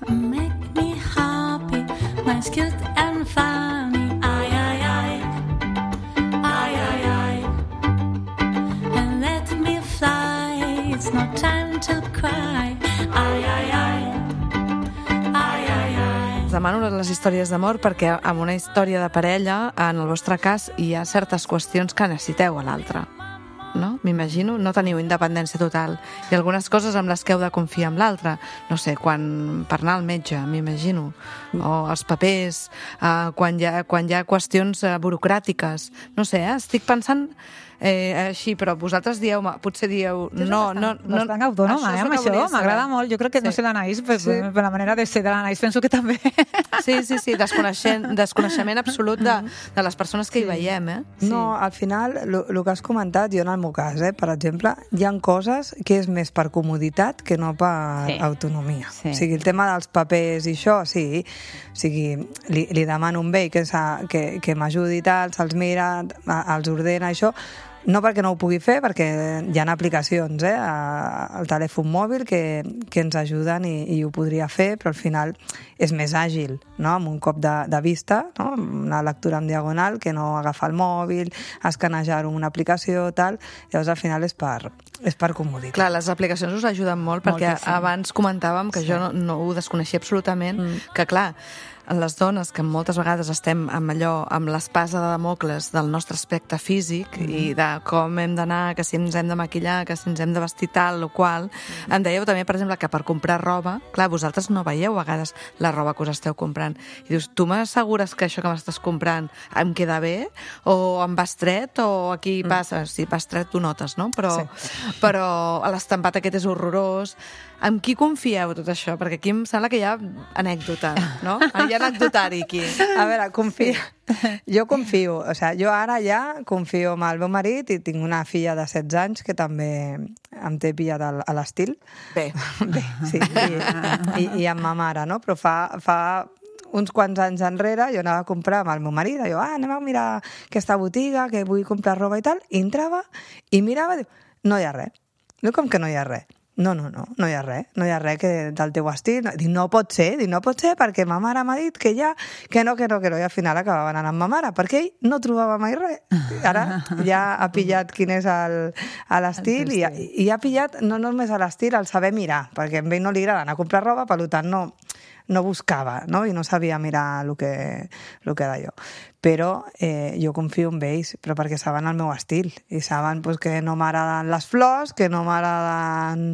Make me happy, mine's cute and funny. Ay, ay, ay. Ay, ay, ay. And let me fly, it's no time to cry. Ay, ay, ay. Ay, ay, ay. Us demano les històries d'amor perquè amb una història de parella, en el vostre cas, hi ha certes qüestions que necessiteu a l'altre. No? M'imagino, no teniu independència total. I algunes coses amb les que heu de confiar en l'altre. No sé, quan per anar al metge, m'imagino. O els papers, eh, quan, hi ha, quan hi ha qüestions eh, burocràtiques. No sé, eh? Estic pensant eh, així, però vosaltres dieu, potser dieu... No, no, no, Bastant autònoma, eh, és el amb que això. volia saber. M'agrada molt. Jo crec que, no Sí. sé, l'Anaïs, per, Sí. per la manera de ser de l'Anaïs, penso que també. Sí, sí, sí, desconeixent, desconeixement absolut de, de les persones que hi veiem, eh? Sí. No, al final, el que has comentat, jo en el meu cas, eh, per exemple, hi ha coses que és més per comoditat que no per Sí. autonomia. Sí. O sigui, el tema dels papers i això, sí, o sigui, li, li demano un vell que, s'ha- que, que m'ajudi i tal, se'ls mira, a- els ordena, això, no perquè no ho pugui fer, perquè hi ha aplicacions eh, a- al telèfon mòbil que, que ens ajuden i, i ho podria fer, però al final és més àgil, no? Amb un cop de, de vista, no? Una lectura en diagonal, que no agafar el mòbil, escanejar-ho en una aplicació, tal. Llavors al final és per, és per comoditat. Clar, les aplicacions us ajuden molt perquè Moltíssim. abans comentàvem que jo no, no ho desconeixia absolutament, mm. que clar, les dones que moltes vegades estem amb allò, amb l'espasa de Damocles del nostre aspecte físic mm. i de com hem d'anar, que si ens hem de maquillar, que si ens hem de vestir tal o qual, mm. em dèieu també, per exemple, que per comprar roba, clar, vosaltres no veieu a vegades la roba que us esteu comprant. I dius, tu m'assegures que això que m'estàs comprant em queda bé? O em va estret? O aquí mm. passa? Si va estret ho notes, no? Però, Sí. però l'estampat aquest és horrorós. Amb qui confieu tot això? Perquè aquí em sembla que hi ha anècdota, no? Hi ha anecdotari aquí. A veure, confio. Jo confio. O sigui, jo ara ja confio en el meu marit i tinc una filla de setze anys que també em té pillat al- a l'estil. Bé, Bé, sí, i, i, i amb ma mare, no? Però fa, fa uns quants anys enrere jo anava a comprar amb el meu marit, jo, ah, anem a mirar aquesta botiga, que vull comprar roba i tal, i entrava i mirava i diu, no hi ha res. Diu, com que no hi ha res? No, no, no, no hi ha res, no hi ha res que del teu estil. Dic, no pot ser, dic, no pot ser, perquè ma mare m'ha dit que ja, que no, que no, que no, i al final acabava anant amb ma mare, perquè ell no trobava mai res. Ara ja ha pillat quin és el- a l'estil i, ha- i ha pillat no només a l'estil, el saber mirar, perquè a ell no li agrada anar a comprar roba, per tant no, no buscava, no? I no sabia mirar el que, el que d'allò. Però eh, jo confio en ells, però perquè saben el meu estil i saben pues, que no m'agraden les flors, que no m'agraden,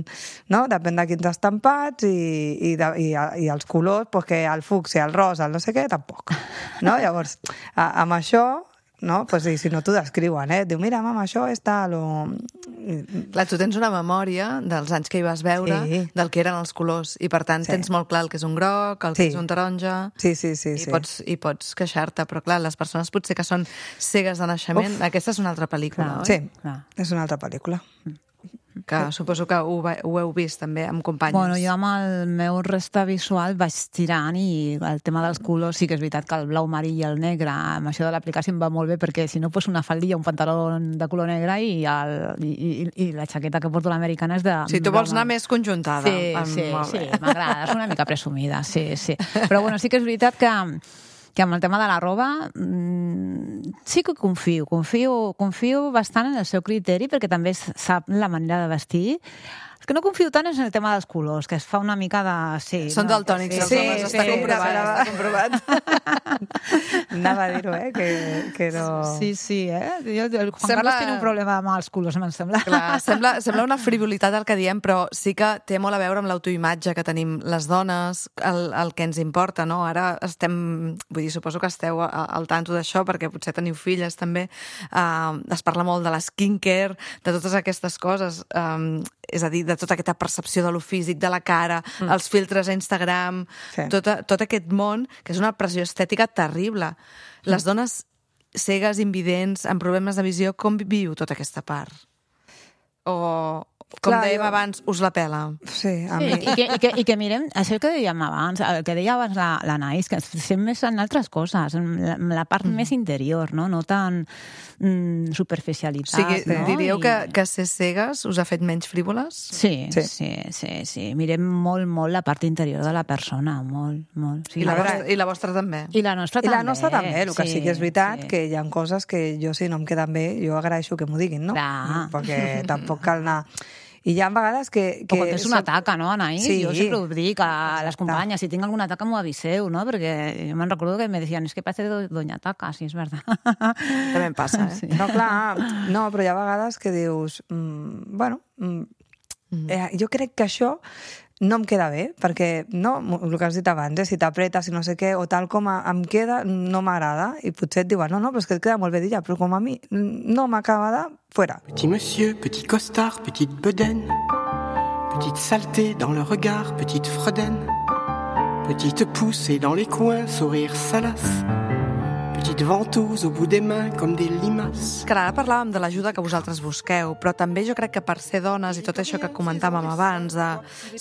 no? Depèn de quins estampats i, i, de, i, i els colors, pues, que el fucsia, el rosa, el no sé què, tampoc. No? Llavors, a, amb això, no? Pues, i si no t'ho descriuen, eh? Diu, mira, mama, això és tal, o... clar, tu tens una memòria dels anys que hi vas veure, Sí. del que eren els colors, i per tant Sí. tens molt clar el que és un groc, el que Sí. és un taronja... Sí, sí, sí. I, sí. pots, I pots queixar-te, però clar, les persones potser que són cegues de naixement, Uf. aquesta és una altra pel·lícula, Clar. oi? Sí, Clar. és una altra pel·lícula. que suposo que ho, ve- ho heu vist també amb companyes. Bueno, jo amb el meu resta visual vaig tirant i el tema dels colors sí que és veritat que el blau marí i el negre, amb això de l'aplicació em va molt bé perquè si no fos una faldilla, un pantaló de color negre i, el, i, i, i la jaqueta que porto l'americana és de... Si tu vols anar més conjuntada. Sí, Amb- sí, molt sí, bé. m'agrada, és una mica presumida, sí, sí. Però bueno, sí que és veritat que, que amb el tema de la roba mmm, sí que confio, confio, confio bastant en el seu criteri perquè també sap la manera de vestir. El que no confio tant és en el tema dels colors, que es fa una mica de... Sí, Són no, daltònics, sí, els sí, homes, està sí, comprovat, sí. està comprovat. Anava a dir-ho, eh? Que, que no... Sí, sí, eh? Jo, el Juan Sembla- Carlos tiene un problema amb els colors, em sembla. Clar, sembla, sembla una frivolitat el que diem, però sí que té molt a veure amb l'autoimatge que tenim les dones, el, el que ens importa, no? Ara estem... Vull dir, suposo que esteu a- al tanto d'això, perquè potser teniu filles també. Uh, es parla molt de la skincare, de totes aquestes coses. Um, és a dir, de tota aquesta percepció de lo físic, de la cara, mm. els filtres a Instagram, Sí. tot, tot aquest món, que és una pressió estètica terrible. Les dones cegues, invidents, amb problemes de visió, com viu tota aquesta part? O, com Clar, dèiem jo- abans, us la pela? Sí, a Sí, mi... i, que, i, que, I que mirem, això que dèiem abans, el que deia abans la, la Naís, que estem més en altres coses, en la, en la part mm. més interior, no, no tan mm, O superficialitat. sigui, no? diríeu I- que, que ser cegues us ha fet menys frívoles? Sí, Sí. sí, sí, sí, sí. Mirem molt, molt la part interior de la persona, molt, molt. Sí, I la, vostra, I la vostra també? I la nostra I també. la nostra també, el que sí, que és veritat sí. que hi ha coses que jo si no em queden bé, jo agraeixo que m'ho diguin, no? Clar. Perquè tampoc cal anar... I hi ha vegades que... O que quan tens una taca, no, Anaïs? Sí. Jo sempre ho dic a les Exacte. companyes, si tinc alguna taca m'ho aviseu, no? Perquè jo me'n recordo que me decían, es que parece do- doña taca, sí, és verdad. També em passa, eh? Sí. No, clar, no, però hi ha vegades que dius, mm, bueno, mm, eh, jo crec que això no em queda bé, perquè no, el que has dit abans, eh, si t'apretes i no sé què, o tal com a- em queda, no m'agrada, i potser et diuen, no, no, però és que et queda molt bé d'ella, però com a mi no m'acaba de... Fuera. Petit monsieur, petite costard, petite bedaine, petite saleté dans le regard, petite fredaine, petite poussée dans les coins, sourire salace, petite ventouse au bout des mains comme des limaces. Que ara parlàvem de l'ajuda que vosaltres busqueu, però també jo crec que per ser dones i tot això que comentàvem abans, de,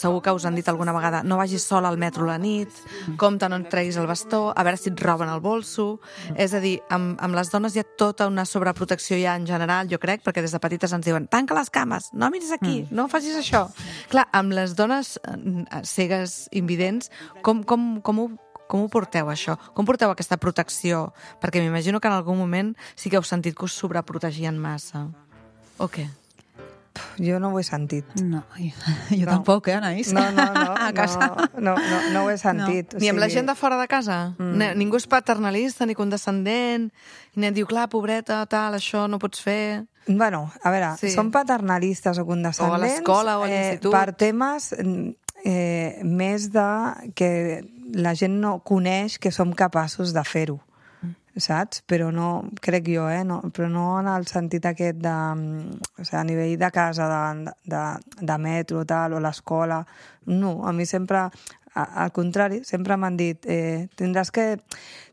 segur que us han dit alguna vegada no vagis sola al metro a la nit, compte no et treguis el bastó, a veure si et roben el bolso... És a dir, amb, amb les dones hi ha tota una sobreprotecció ja en general, jo crec, perquè des de petites ens diuen tanca les cames, no miris aquí, no facis això. Clar, amb les dones eh, cegues, invidents, com, com, com ho Com ho porteu, això? Com porteu aquesta protecció? Perquè m'imagino que en algun moment sí que heu sentit que us sobreprotegien massa. O què? Jo no ho he sentit. No, jo, jo No. tampoc, eh, Anaïs? No, no, no, A casa. no, no, no, no ho he sentit. O Ni amb la sigui, gent de fora de casa? Mm. Ningú és paternalista ni condescendent? I ningú diu, clar, pobreta, tal, això no pots fer... Bueno, a veure, Sí. sí. són paternalistes o condescendents... O a l'escola o a l'institut. Eh, per temes eh, més de que la gent no coneix que som capaços de fer-ho, saps? Però no, crec jo, eh? No, però no en el sentit aquest de... O sigui, a nivell de casa, de, de, de metro, tal, o l'escola... No, a mi sempre... a- Al contrari, sempre m'han dit eh, tindràs que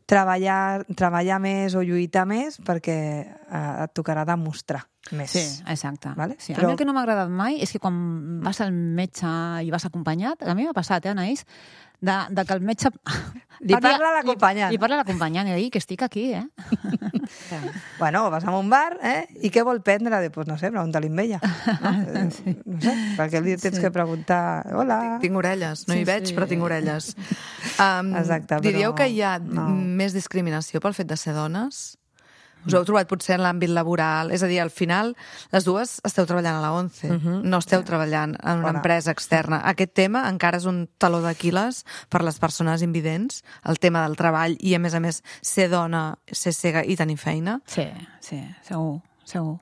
treballar, treballar més o lluitar més perquè eh, et tocarà demostrar més. Sí, exacte. Vale? Sí. A Però- mi el que no m'ha agradat mai és que quan vas al metge i vas acompanyat, a mi m'ha passat, eh, Anaïs, de, de que el metge... Li parla a l'acompanyant. Li, li parla a l'acompanyant i dir que estic aquí, eh? Bueno, vas a un bar, eh? I què vol prendre? Pues no sé, pregunta-li amb ella. No, Eh, no sé, perquè li tens Sí. que preguntar... Hola. Tinc orelles, no Sí, hi veig, sí. però tinc orelles. Um, Exacte, però diríeu que hi ha no. més discriminació pel fet de ser dones? Us heu trobat potser en l'àmbit laboral? És a dir, al final, les dues esteu treballant a la ONCE, no esteu treballant en una Fora. empresa externa. Aquest tema encara és un taló d'Aquil·les per les persones invidents, el tema del treball i, a més a més, ser dona, ser cega i tenir feina. Sí, sí, segur, segur.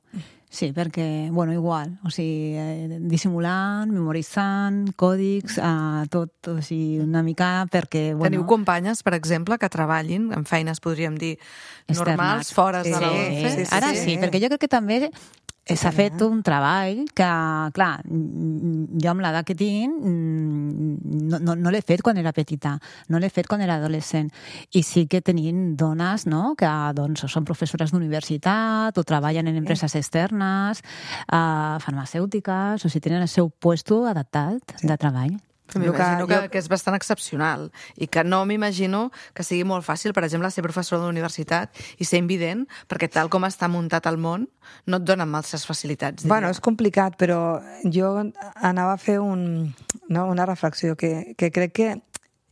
Sí, perquè, bueno, igual, o sigui, eh, dissimulant, memoritzant, còdics, eh, tot, o sigui, una mica perquè, bueno... Teniu companyes, per exemple, que treballin en feines, podríem dir, externes. normals, fora Sí, de la ONCE? sí, sí, Ara sí. sí, perquè jo crec que també s'ha fet un treball que, clar, jo amb l'edat que tinc no, no, no l'he fet quan era petita, no l'he fet quan era adolescent. I sí que tenim dones, no?, que doncs, són professores d'universitat o treballen en empreses externes, uh, farmacèutiques, o sigui, tenen el seu puesto adaptat de treball. M'imagino que, que és bastant excepcional i que no m'imagino que sigui molt fàcil, per exemple, ser professor de la universitat i ser invident, perquè tal com està muntat el món no et donen masses facilitats. Diria. Bueno, és complicat, però jo anava a fer un, no, una reflexió que, que crec que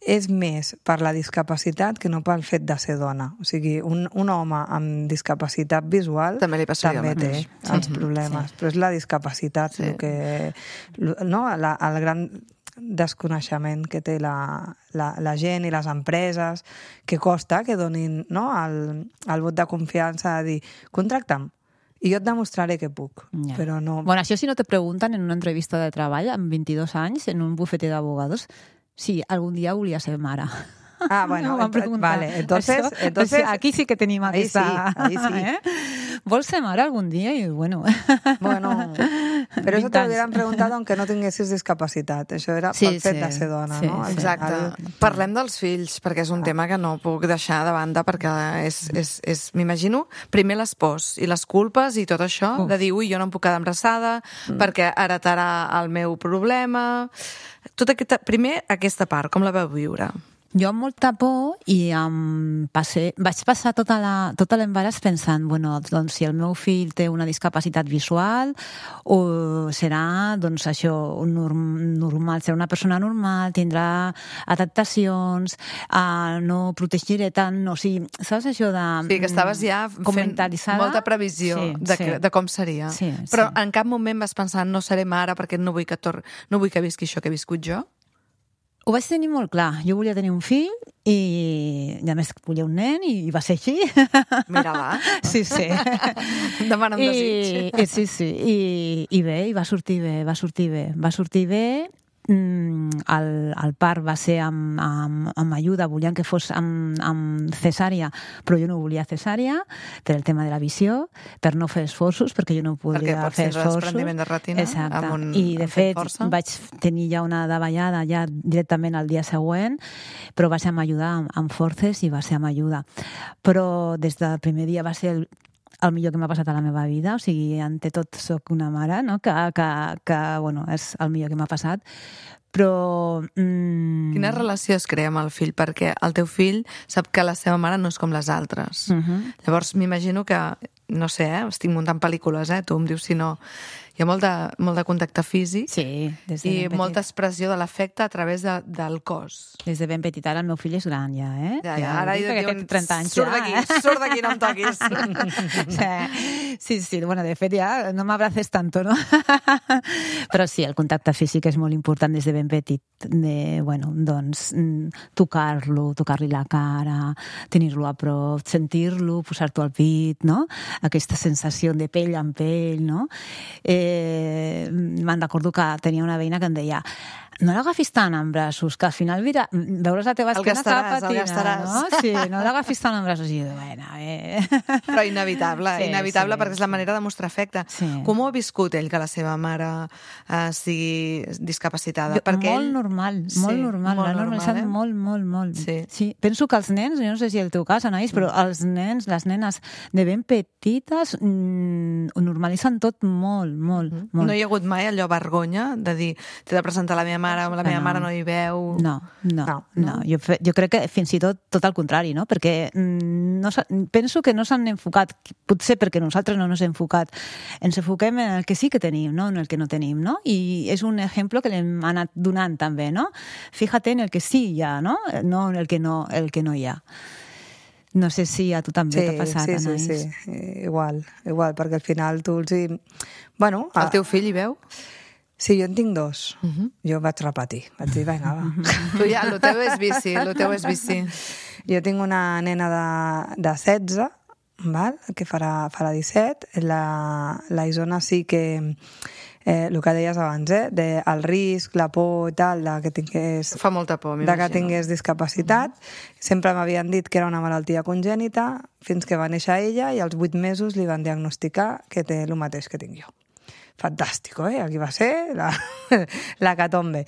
és més per la discapacitat que no pel fet de ser dona. O sigui, un, un home amb discapacitat visual també, li també té sí. els problemes, sí. però és la discapacitat sí. el que, no, la, el gran desconeixement que té la, la, la gent i les empreses, que costa que donin, no, el, el vot de confiança de dir, contracta'm, i jo et demostraré que puc, yeah. però no... Bueno, això si no te pregunten en una entrevista de treball amb vint-i-dos anys en un bufete d'abogados, si algun dia volia ser mare. Ah, bueno, no ent vale, entonces, Això, entonces... Aquí sí que tenim ahí aquesta... Sí, ahí sí. ¿Eh? Vols ser mare algun dia? I bueno... Bueno, però eso te lo hubieran preguntado aunque no tinguessis discapacitat. Això era sí, pel fet sí, de ser dona, sí, no? Sí. Exacte. El... Parlem dels fills, perquè és un ah. tema que no puc deixar de banda, perquè és, és, és m'imagino, primer les pors i les culpes i tot això, Uf. de dir, ui, jo no em puc quedar embarassada, mm. perquè heretarà el meu problema... Tot aquesta, primer, aquesta part, com la vau viure? Jo amb molta por i um, passe, vaig passar tota la, tot l'embaràs pensant, bueno, doncs si el meu fill té una discapacitat visual o serà, doncs això, norm, normal, serà una persona normal, tindrà adaptacions, uh, no protegiré tant, o sigui, saps això de... Sí, que estaves ja fent molta previsió sí, de, sí. de com seria. Sí, Però sí. en cap moment vas pensar, no seré mare perquè no vull que, tor no vull que visqui això que he viscut jo? Ho vaig tenir molt clar. Jo volia tenir un fill i, a més, volia un nen i va ser així. Mira, va. Sí, sí. Demana un desig. I, sí, sí. I, I bé, i va sortir bé, va sortir bé. Va sortir bé. Mm, el, el part va ser amb, amb, amb ajuda, volien que fos amb, amb cesària, però jo no volia cesària per el tema de la visió, per no fer esforços, perquè jo no podia fer esforços. Perquè desprendiment de retina. Exacte. Un, I de fet força. Vaig tenir ja una davallada ja directament al dia següent, però va ser amb ajuda, amb, amb forces i va ser amb ajuda. Però des del primer dia va ser el el millor que m'ha passat a la meva vida, o sigui, ante tot soc una mare, no? que, que, que bueno, és el millor que m'ha passat, però... Mm... Quina relació es crea amb el fill? Perquè el teu fill sap que la seva mare no és com les altres. Uh -huh. Llavors, m'imagino que, no sé, eh? estic muntant pel·lícules, eh? tu em dius si no... Hi ha molt de, molt de contacte físic sí, des de i molta expressió de l'afecte a través de, del cos. Des de ben petita, ara el meu fill és gran ja, eh? Ja, ja, ara hi diuen trenta anys surt ja, d'aquí, eh? surt d'aquí, no em toquis. Sí, sí, bueno, de fet ja no m'abraces tanto, no? Però sí, el contacte físic és molt important des de ben petit, de, bueno, doncs, tocar-lo, tocar-li la cara, tenir-lo a prop, sentir-lo, posar-t'ho al pit, no? Aquesta sensació de pell amb pell, no? Eh, Eh, me'n recordo que tenia una veïna que em deia no l'agafis tant en braços, que al final mira, veuràs la teva esquena que va patina, no? Sí, no l'agafis tant en braços. I jo, bueno, eh... Però inevitable, sí, inevitable, sí, perquè és la manera de mostrar afecte. Sí. Com ho ha viscut ell, que la seva mare eh, sigui discapacitada? Jo, perquè molt ell... normal, sí, molt normal, molt l'ha normalitzat normal, eh? molt, molt, molt. Sí. Sí. Penso que els nens, jo no sé si el teu cas, Anaïs, però els nens, les nenes de ben petites mmm, ho normalitzen tot molt, molt, mm -hmm. molt. No hi ha hagut mai allò vergonya de dir, t'he de presentar la meva mare, la meva no. mare no hi veu... No, no, no. no. no. Jo, jo crec que fins i tot tot al contrari, no? Perquè no, penso que no s'han enfocat, potser perquè nosaltres no ens hem enfocat, ens enfoquem en el que sí que tenim, no en el que no tenim, no? I és un exemple que l'hem anat donant també, no? Fíjate en el que sí hi ha, no? No en el que no, el que no hi ha. No sé si a tu també sí, t'ha passat, sí, Anaïs. Sí, sí, igual, igual, perquè al final tu els hi... Bueno, el teu fill hi veu? Sí, jo en tinc dos. Uh -huh. Jo vaig repetir. Vaig dir, vinga, va. Tu ja, el teu és bici, el teu és bici. Jo tinc una nena de, de setze, val? Que farà, farà disset. La, la Isona sí que eh, el que deies abans, eh, de el risc, la por i tal, de que tingués, Fa molta por, de m'imagino. que tingués discapacitat. Sempre m'havien dit que era una malaltia congènita, fins que va néixer ella i als vuit mesos li van diagnosticar que té el mateix que tinc jo. Fantàstico, eh? Aquí va ser la, la catombe.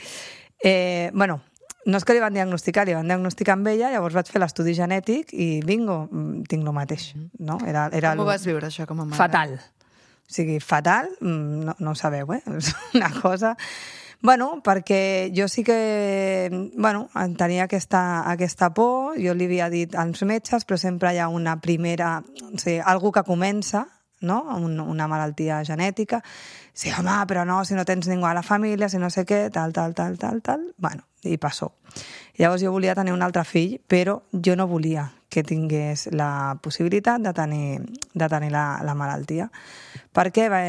Eh, bueno, no és que li van diagnosticar, li van diagnosticar amb ella, llavors vaig fer l'estudi genètic i bingo, tinc el mateix. No? Era, era Com ho lo- vas viure, això, com a mare? Fatal. O sigui, fatal, mm, no, no ho sabeu, eh? És una cosa... Bueno, perquè jo sí que bueno, tenia aquesta, aquesta por, jo li havia dit als metges, però sempre hi ha una primera... O sigui, algú que comença, no? Un, una malaltia genètica. Sí, home, però no, si no tens ningú a la família, si no sé què, tal, tal, tal, tal, tal... Bueno, i passó. Llavors jo volia tenir un altre fill, però jo no volia que tingués la possibilitat de tenir, de tenir la, la malaltia. Perquè, bé,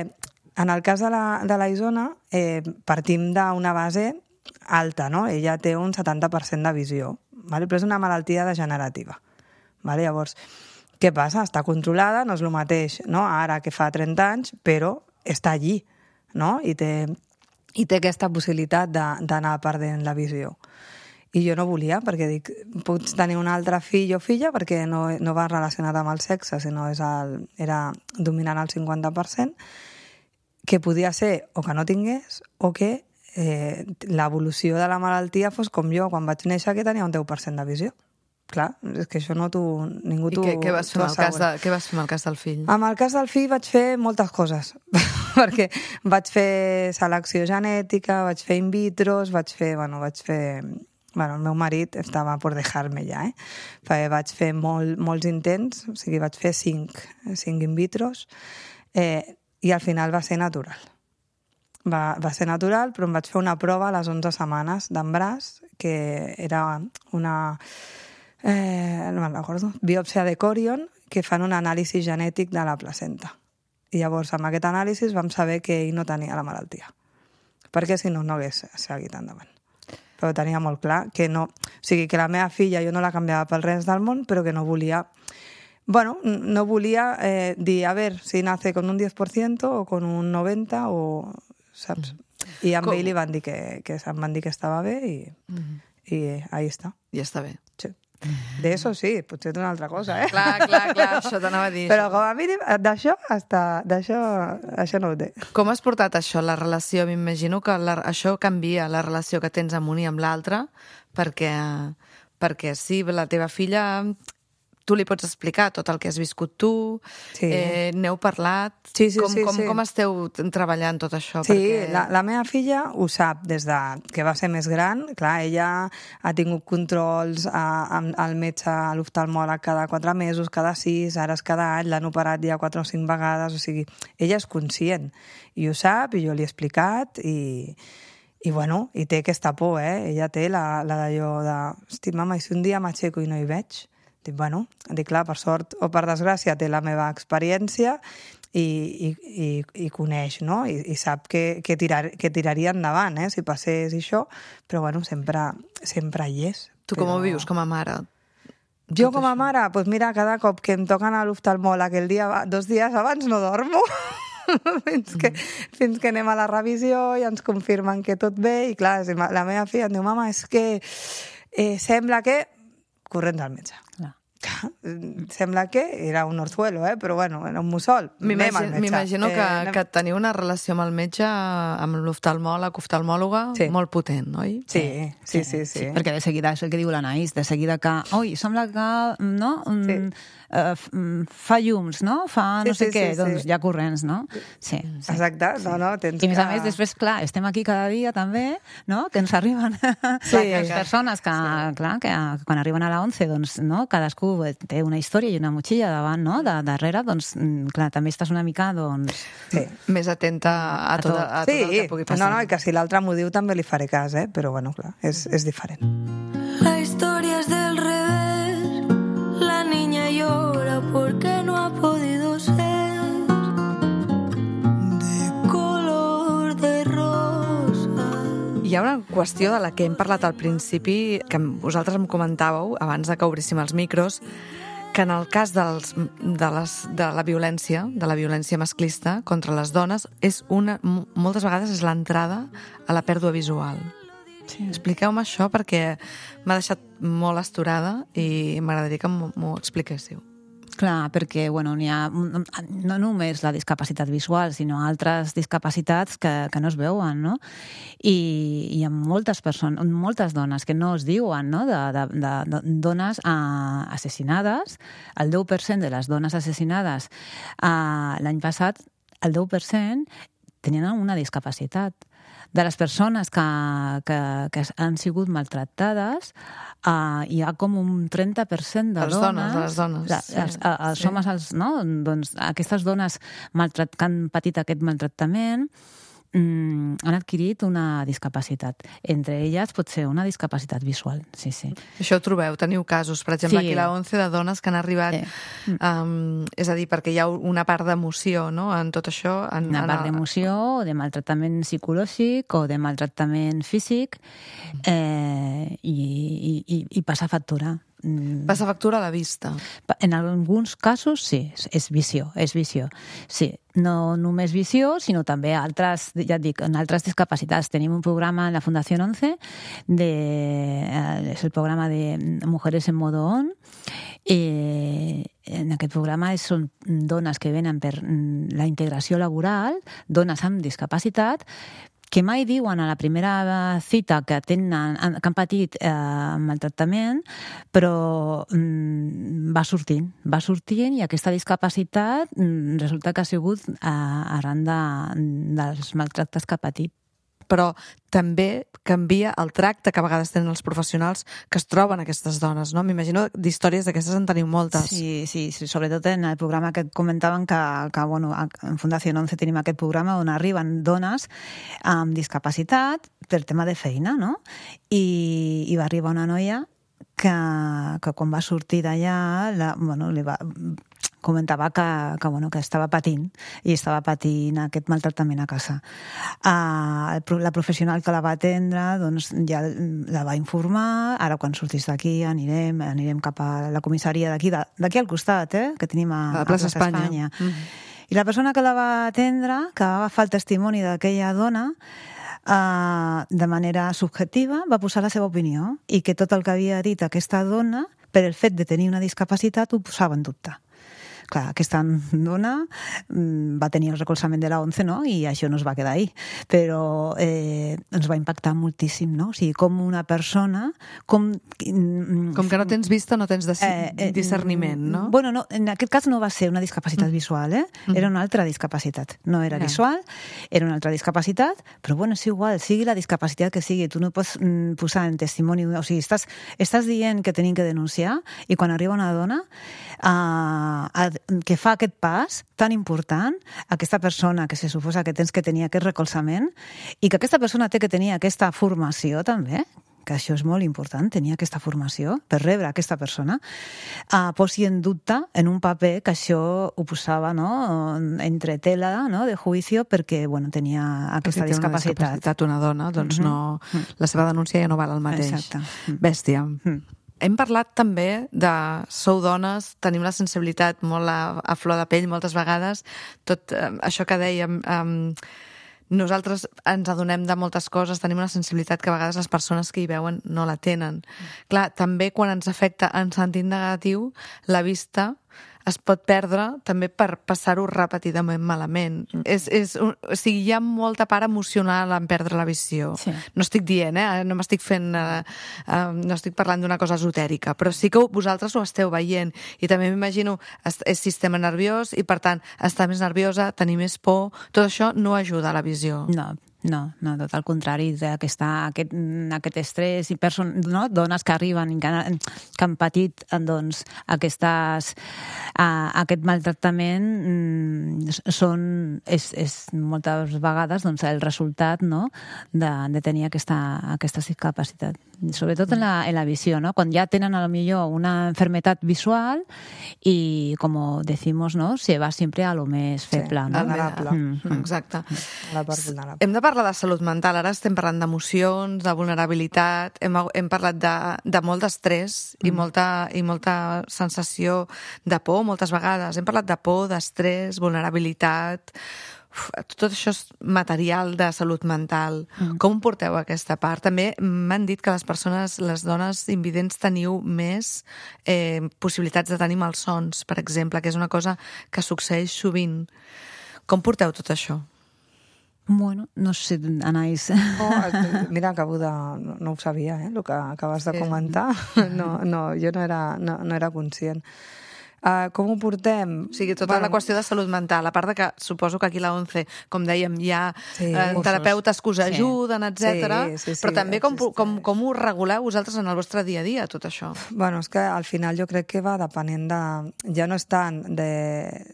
en el cas de la, de la Isona, eh, partim d'una base alta, no? Ella té un setanta per cent de visió, vale? Però és una malaltia degenerativa. Vale? Llavors, què passa? Està controlada, no és el mateix, no? Ara que fa trenta anys, però està allí, no? I té, i té aquesta possibilitat de- d'anar perdent la visió. I jo no volia, perquè dic, pots tenir un altre fill o filla, perquè no, no va relacionat amb el sexe, sinó és el, era dominant al cinquanta per cent, que podia ser o que no tingués o que eh, l'evolució de la malaltia fos com jo, quan vaig néixer, que tenia un deu per cent de visió. Clar, és que això no t'ho... Ningú I t'ho què, què, vas fer t'ho amb el cas de, assegura. què vas fer amb el cas del fill? Amb el cas del fill vaig fer moltes coses, perquè vaig fer selecció genètica, vaig fer in vitros, vaig fer, bueno, vaig fer... Bueno, el meu marit estava per dejar-me ja, eh? Perquè vaig fer molt, molts intents, o sigui, vaig fer cinc, cinc in vitros, eh, i al final va ser natural. Va, va ser natural, però em vaig fer una prova a les onze setmanes d'embràs, que era una... Eh, no me'n recordo, biòpsia de còrion, que fan un anàlisi genètic de la placenta. I llavors, amb aquest anàlisi vam saber que ell no tenia la malaltia. Perquè si no, no hagués seguit endavant. Però tenia molt clar que no... O sigui, que la meva filla jo no la canviava pel res del món, però que no volia... Bueno, no volia eh, dir, a ver, si nace con un diez por ciento o con un noventa o... Saps? I amb Com? ell li van dir que, que em van dir que estava bé i, i ahí està. Ja està bé. Sí. De eso sí, potser d'una altra cosa, eh? Clar, clar, clar, això t'anava a dir. Però com a mínim, d'això hasta, d'això això no ho té. Com has portat això, la relació? M'imagino que la, això canvia, la relació que tens amb un i amb l'altre, perquè, perquè sí, la teva filla, tu li pots explicar tot el que has viscut tu, Sí. eh, n'heu parlat, Sí, sí, com, sí, com, sí. com esteu treballant tot això? Sí, perquè... la, la meva filla ho sap des de que va ser més gran. Clar, ella ha tingut controls a, amb el metge, a l'oftalmòleg cada quatre mesos, cada sis, ara és cada any, l'han operat ja quatre o cinc vegades, o sigui, ella és conscient i ho sap, i jo li he explicat i, i bueno, i té aquesta por, eh? Ella té la, la d'allò de, hosti, mama, i si un dia m'aixeco i no hi veig? Dic, bueno, dic, clar, per sort o per desgràcia té la meva experiència i, i, i, i coneix, no? I, i sap que, que, tirar, que tiraria endavant, eh? Si passés això, però bueno, sempre, sempre hi és. Tu com però... ho vius com a mare? Jo com a mare, doncs mira, cada cop que em toquen a l'oftalmòleg el dia, aba- dos dies abans no dormo, fins, que, fins que anem a la revisió i ens confirmen que tot bé, i clar, si ma- la meva filla em diu, mama, és que eh, sembla que... corrents al metge. Clar. Clar, sembla que era un orzuelo, eh? Però bueno, era un mussol. Anem al M'imagino metge. m'imagino que, Eh, anem- que teniu una relació amb el metge, amb l'oftalmòleg, oftalmòloga, Sí. molt potent, oi? Sí, sí, sí, sí. Sí, perquè de seguida, és el que diu l'Anaïs, de seguida que, oi, sembla que, no, mm, Sí. eh, f- mm, fa llums, no? Fa no Sí, sé sí, què, sí, doncs sí. ja corrents, no? Sí, sí. Exacte, no, no, tens I a més a que- més, després, clar, estem aquí cada dia també, no?, que ens arriben Sí. les persones que, clar, que quan arriben a la once, doncs, no?, cadascú té una història i una motxilla davant, no?, de, darrere, doncs, mm, clar, també estàs una mica, doncs... Sí. Més atenta a, A tot, tot. a tot Sí, el que pugui no, passar. no, i que si l'altre m'ho diu també li faré cas, eh? Però bueno, clar, és, és diferent. La historia es del revés. La niña llora porque no ha podido ser de color de rosa. Hi ha una qüestió de la que hem parlat al principi, que vosaltres em comentàveu, abans de que obríssim els micros, que en el cas dels, de, les, de la violència, de la violència masclista contra les dones, és una, moltes vegades és l'entrada a la pèrdua visual. Sí. Expliqueu-me això perquè m'ha deixat molt astorada i m'agradaria que m'ho, m'ho expliquéssiu. Clar, perquè bueno, n'hi ha no només la discapacitat visual, sinó altres discapacitats que, que no es veuen, no? I hi ha moltes persones, moltes dones que no es diuen, no? De, de, de, de dones uh, assassinades. El deu per cent de les dones assassinades uh, l'any passat, el deu per cent tenien una discapacitat. De les persones que, que, que han sigut maltractades, uh, hi ha com un trenta per cent de les dones... dones, les dones. La, sí, els, els sí. homes, els, no? Doncs aquestes dones maltrat, que han patit aquest maltractament mm, han adquirit una discapacitat. Entre elles pot ser una discapacitat visual, sí, sí. Això ho trobeu, teniu casos, per exemple, Sí. aquí a la ONCE de dones que han arribat, Sí. um, és a dir, perquè hi ha una part d'emoció, no?, en tot això. En, Una en part el- d'emoció, o de maltractament psicològic, o de maltractament físic, eh, i, i, i, i passa factura. Mm. Passa factura a la vista. En alguns casos, sí, és- és visió, és visió. Sí, no només visió, sinó també altres, ja et dic, en altres discapacitats. Tenim un programa en la Fundació ONCE, de, eh, és el programa de Mujeres en Modo On, i en aquest programa són dones que venen per mm, la integració laboral, dones amb discapacitat, que mai diuen a la primera cita que tenen, que han patit eh, maltractament, però mm, va sortint, va sortint i aquesta discapacitat mm, resulta que ha sigut eh, arran de, dels maltractes que ha patit. Però també canvia el tracte que a vegades tenen els professionals que es troben aquestes dones, no? M'imagino d'històries d'aquestes en teniu moltes. Sí, sí, sí, sobretot en el programa que comentaven que, que bueno, en Fundació ONCE tenim aquest programa on arriben dones amb discapacitat per tema de feina, no? I, i va arribar una noia que, que quan va sortir d'allà, la, bueno, li va, comentava que, que, bueno, que estava patint i estava patint aquest maltractament a casa. Uh, la professional que la va atendre doncs, ja la va informar, ara quan sortís d'aquí anirem, anirem cap a la comissaria d'aquí, d'aquí al costat, eh, que tenim a, A la plaça a Plaça Espanya. Espanya. Mm. I la persona que la va atendre, que va agafar el testimoni d'aquella dona, Uh, de manera subjetiva va posar la seva opinió i que tot el que havia dit aquesta dona, per el fet de tenir una discapacitat, ho posava en dubte. Clar, aquesta dona mm, va tenir el recolzament de la ONCE, no? I això no es va quedar ahí. Però eh, ens va impactar moltíssim, no? O sigui, com una persona... Com, Com que no tens vista, no tens Eh, eh, discerniment, no? Bueno, no, en aquest cas no va ser una discapacitat visual, eh? Era una altra discapacitat. No era Ja. visual, era una altra discapacitat, però bueno, és igual, sigui la discapacitat que sigui, tu no pots mm, posar en testimoni... O sigui, estàs, estàs dient que tenim que denunciar i quan arriba una dona uh, a, que fa aquest pas tan important, aquesta persona que se suposa que tens que tenir aquest recolzament i que aquesta persona té que tenir aquesta formació també, que això és molt important, tenir aquesta formació per rebre aquesta persona, uh, posi en dubte en un paper que això ho posava, no?, entre tela, no?, de juicio perquè, bueno, tenia aquesta Perquè té una discapacitat. discapacitat una dona, doncs Mhm. no, la seva denúncia ja no val el mateix. Exacte. Mm. Bèstia. Mm. Hem parlat també de sou dones, tenim la sensibilitat molt a, a flor de pell moltes vegades, tot eh, això que dèiem... Eh, nosaltres ens adonem de moltes coses, tenim una sensibilitat que a vegades les persones que hi veuen no la tenen. Mm. Clar, també quan ens afecta en sentit negatiu, la vista es pot perdre també per passar-ho repetidament malament. Mm. És, és, un, o sigui, hi ha molta part emocional en perdre la visió. Sí. No estic dient, eh? No m'estic fent... Eh, eh, no estic parlant d'una cosa esotèrica, però sí que vosaltres ho esteu veient. I també m'imagino, és, és sistema nerviós i, per tant, estar més nerviosa, tenir més por, tot això no ajuda a la visió. No, no, no, tot el contrari, aquesta, aquest, aquest estrès i person, no? Dones que arriben i que, han- que han patit doncs, aquestes, uh, aquest maltractament mm, són, és, és moltes vegades doncs, el resultat, no? de, de tenir aquesta, aquesta discapacitat. Sobretot en la, en la visió, no? Quan ja tenen a lo millor una enfermedad visual y, como decimos, ¿no? Se va siempre a lo més feble, no? vulnerable. Mm, mm. Exacte. La part vulnerable. Hem de parlar parlar de salut mental, ara estem parlant d'emocions, de vulnerabilitat, hem, hem parlat de, de molt d'estrès mm. i, molta, i molta sensació de por moltes vegades. Hem parlat de por, d'estrès, vulnerabilitat... Uf, tot això és material de salut mental. Mm. Com porteu aquesta part? També m'han dit que les persones, les dones invidents, teniu més eh, possibilitats de tenir malsons, per exemple, que és una cosa que succeeix sovint. Com porteu tot això? Bueno, no sé, Anaïs. Oh, mira, acabo de... No, no ho sabia, eh, el que acabes de comentar. No, no, jo no era, no, no era conscient. Uh, com ho portem? O sigui, tota bueno, la qüestió de salut mental, a part de que suposo que aquí a la ONCE, com dèiem, hi ha sí, eh, terapeutes que us ajuden, sí. etcètera. Sí, sí, sí, però també com, com, com ho reguleu vosaltres en el vostre dia a dia, tot això? Bueno, és que al final jo crec que va depenent de... Ja no és tant de,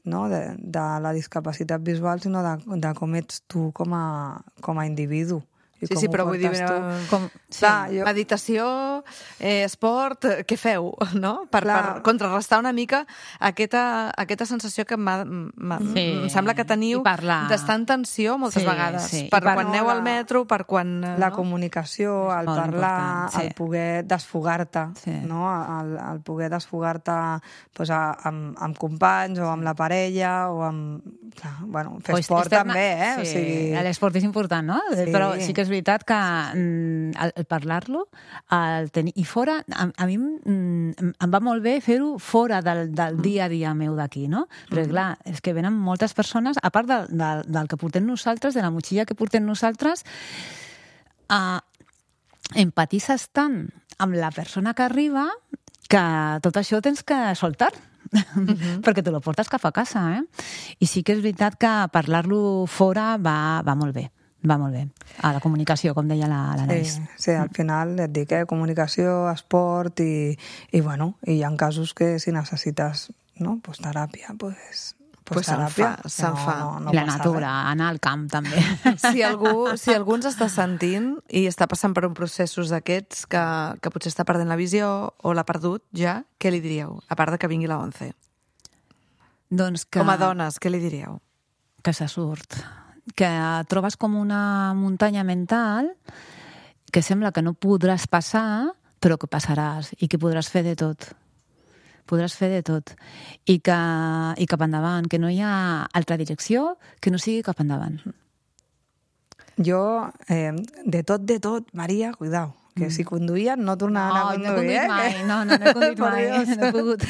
no, de, de la discapacitat visual, sinó de, de com ets tu com a, com a individu. Sí, sí, però vull dir, com, sí, clar, jo... meditació, eh, esport, què feu, no? Per, per contrarrestar una mica aquesta, aquesta sensació que sí. em sembla que teniu d'estar en tensió moltes sí, vegades. Sí. Per quan aneu al metro, per quan... La no? comunicació, el parlar, sí. el poder desfogar-te, sí. no? el, el poder desfogar-te pues, amb, amb companys o amb la parella o amb... Clar, bueno, fer pues esport externa... també, eh? Sí. O sigui... L'esport és important, no? Sí. Però sí que és veritat que mm, el, el parlar-lo el tenir, i fora, a, a mi mm, em va molt bé fer-ho fora del, del dia a dia meu d'aquí, no? Però mm. clar, és que venen moltes persones, a part del, del, del que portem nosaltres, de la motxilla que portem nosaltres, uh, empatitzes tant amb la persona que arriba que tot això tens que soltar. Uh-huh. perquè te lo portes cap a casa, eh? I sí que és veritat que parlar-lo fora va, va molt bé. Va molt bé. A la comunicació, com deia la, la Naís. Sí, sí, al final et dic, eh? Comunicació, esport i, i bueno, i hi ha casos que si necessites, no, pues teràpia, pues, pues, pues teràpia. Se'n fa, se'n no, fa. No, no I la natura, res. Anar al camp també. Si algú, si algú ens està sentint i està passant per un processos d'aquests que, que potser està perdent la visió o l'ha perdut ja, què li diríeu? A part de que vingui la ONCE. Doncs que... Com a dones, què li diríeu? Que se surt. Que trobes com una muntanya mental que sembla que no podràs passar, però que passaràs i que podràs fer de tot. Podràs fer de tot. I que, i cap endavant, que no hi ha altra direcció que no sigui cap endavant. Jo, eh, de tot, de tot, Maria, cuidao, que si conduïen no tornaven no, a conduir, no, eh? No, no, no he conduït mai, no he pogut.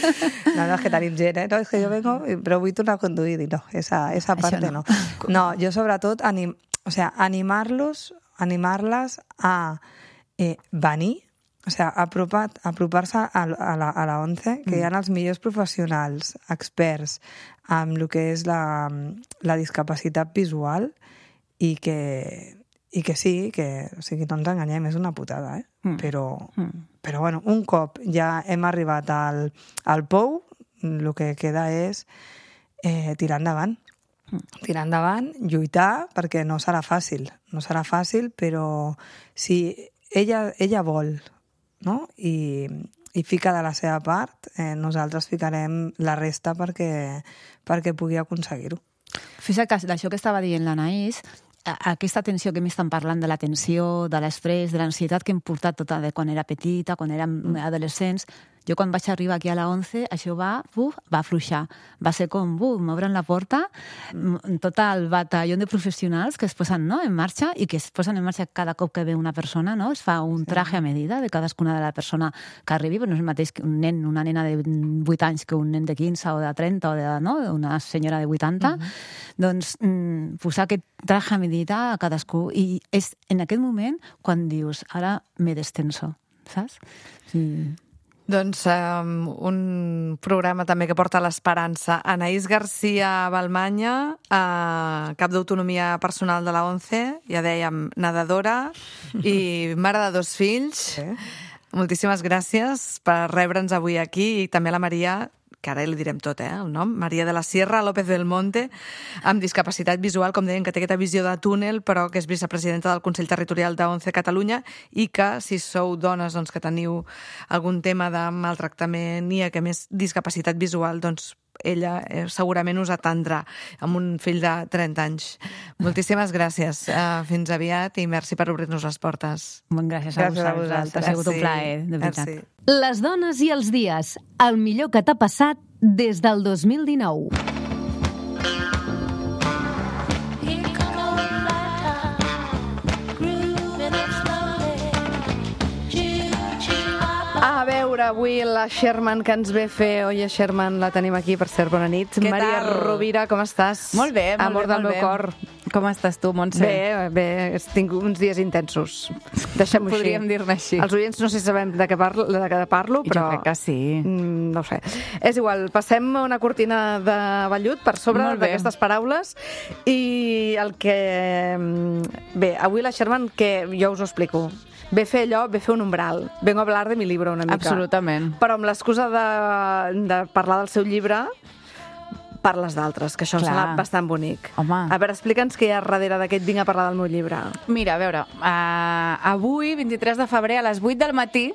No, no, és que tenim gent, eh? No, és que jo vengo, però vull tornar a conduir, i no, esa, esa parte no. no. No, jo sobretot, anim, o sea, animar-los, animar-les a eh, venir, o sea, apropar, apropar-se a, a, la, a la ONCE, que mm. hi ha els millors professionals, experts, amb el que és la, la discapacitat visual, i que, i que sí, que o sigui, no ens enganyem, és una putada, eh? Mm. Però, mm. però bueno, un cop ja hem arribat al, al pou, el que queda és eh, tirar endavant. Mm. Tirar endavant, lluitar, perquè no serà fàcil. No serà fàcil, però si ella, ella vol, no? I, i fica de la seva part, eh, nosaltres ficarem la resta perquè, perquè pugui aconseguir-ho. Fixa't que d'això que estava dient l'Anaïs, aquesta tensió que m'estan parlant de la tensió, de l'estrès, de l'ansietat que hem portat tota de quan era petita, quan érem adolescents, jo quan vaig arribar aquí a la ONCE, això va, uf, va afluixar. Va ser com, buf, m'obren la porta, tot el batalló de professionals que es posen, no, en marxa i que es posen en marxa cada cop que ve una persona, no? Es fa un traje a medida de cadascuna de la persona que arribi, però no és el mateix que un nen, una nena de vuit anys que un nen de quinze o de trenta o de, no? Una senyora de vuitanta. Mm-hmm. Doncs mm, posar aquest traje a medida a cadascú i és en aquest moment quan dius, ara me destenso, saps? Sí. Doncs um, un programa també que porta l'esperança. Anaïs García Balmanya, uh, cap d'autonomia personal de la ONCE, ja dèiem, nedadora i mare de dos fills. Sí. Moltíssimes gràcies per rebre'ns avui aquí i també a la Maria, que ara li direm tot, eh, el nom, Maria de la Sierra López del Monte, amb discapacitat visual, com deien, que té aquesta visió de túnel, però que és vicepresidenta del Consell Territorial de ONCE Catalunya i que, si sou dones doncs, que teniu algun tema de maltractament i que més discapacitat visual, doncs ella eh, segurament us atendrà amb un fill de trenta anys. Moltíssimes gràcies. Uh, fins aviat i merci per obrir-nos les portes. Gràcies a Gràcies a vosaltres. vosaltres. Ha sigut un Sí. plaer, de veritat. Merci. Les dones i els dies, el millor que t'ha passat des del dos mil dinou. A veure, avui la Sherman que ens ve fer... Oye, Sherman, la tenim aquí, per cert, bona nit. Què Maria tal? Rovira, com estàs? Molt bé, molt Amor bé, del molt meu bé. cor. Com estàs tu, Montse? Bé, bé, tinc uns dies intensos. Deixem-ho així. Podríem dir-ne així. Els oients no sé si sabem de què parlo, de què parlo però... Jo crec que sí. Mm, no ho sé. És igual, passem una cortina de vellut per sobre Molt bé. d'aquestes paraules i el que... mm, Bé, avui la Sherman, que jo us ho explico, ve fer allò, ve fer un umbral. Vengo a hablar de mi libro una mica. Absolutament. Però amb l'excusa de, de parlar del seu llibre, parles d'altres, que això em Clar. sembla bastant bonic. Home. A veure, explica'ns què hi ha darrere d'aquest vinc a parlar del meu llibre. Mira, a veure, uh, avui, vint-i-tres de febrer, a les vuit del matí,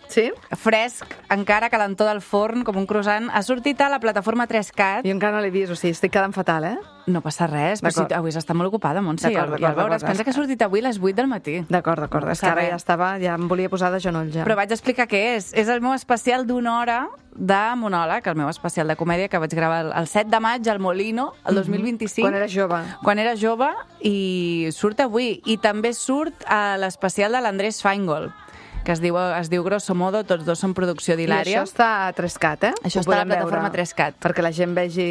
Sí? fresc, encara calentó del forn, com un croissant, ha sortit a la plataforma tres cat. Jo encara no l'he vist, o sigui, estic quedant fatal, eh? No passa res, però si D'acord. avui està molt ocupada, Montse, i D'acord, el, i el d'acord, veure, es d'acord. pensa que ha sortit avui a les vuit del matí. D'acord, d'acord. No És que passa ara res. ja estava, ja em volia posar de genoll, ja. Però vaig explicar què és. És el meu especial d'una hora de monòleg, el meu especial de comèdia que vaig gravar el, el set de maig al Molino, el dos mil vint-i-cinc. Quan eres jove. Quan era jove, i surt avui. I també surt a l'especial de l'Andrés Feingold, que es diu, es diu Grosso Modo, tots dos són producció I d'Hilària. això està a tres cat, eh? Això Ho està a la podem veure, plataforma tres cat. Perquè la gent vegi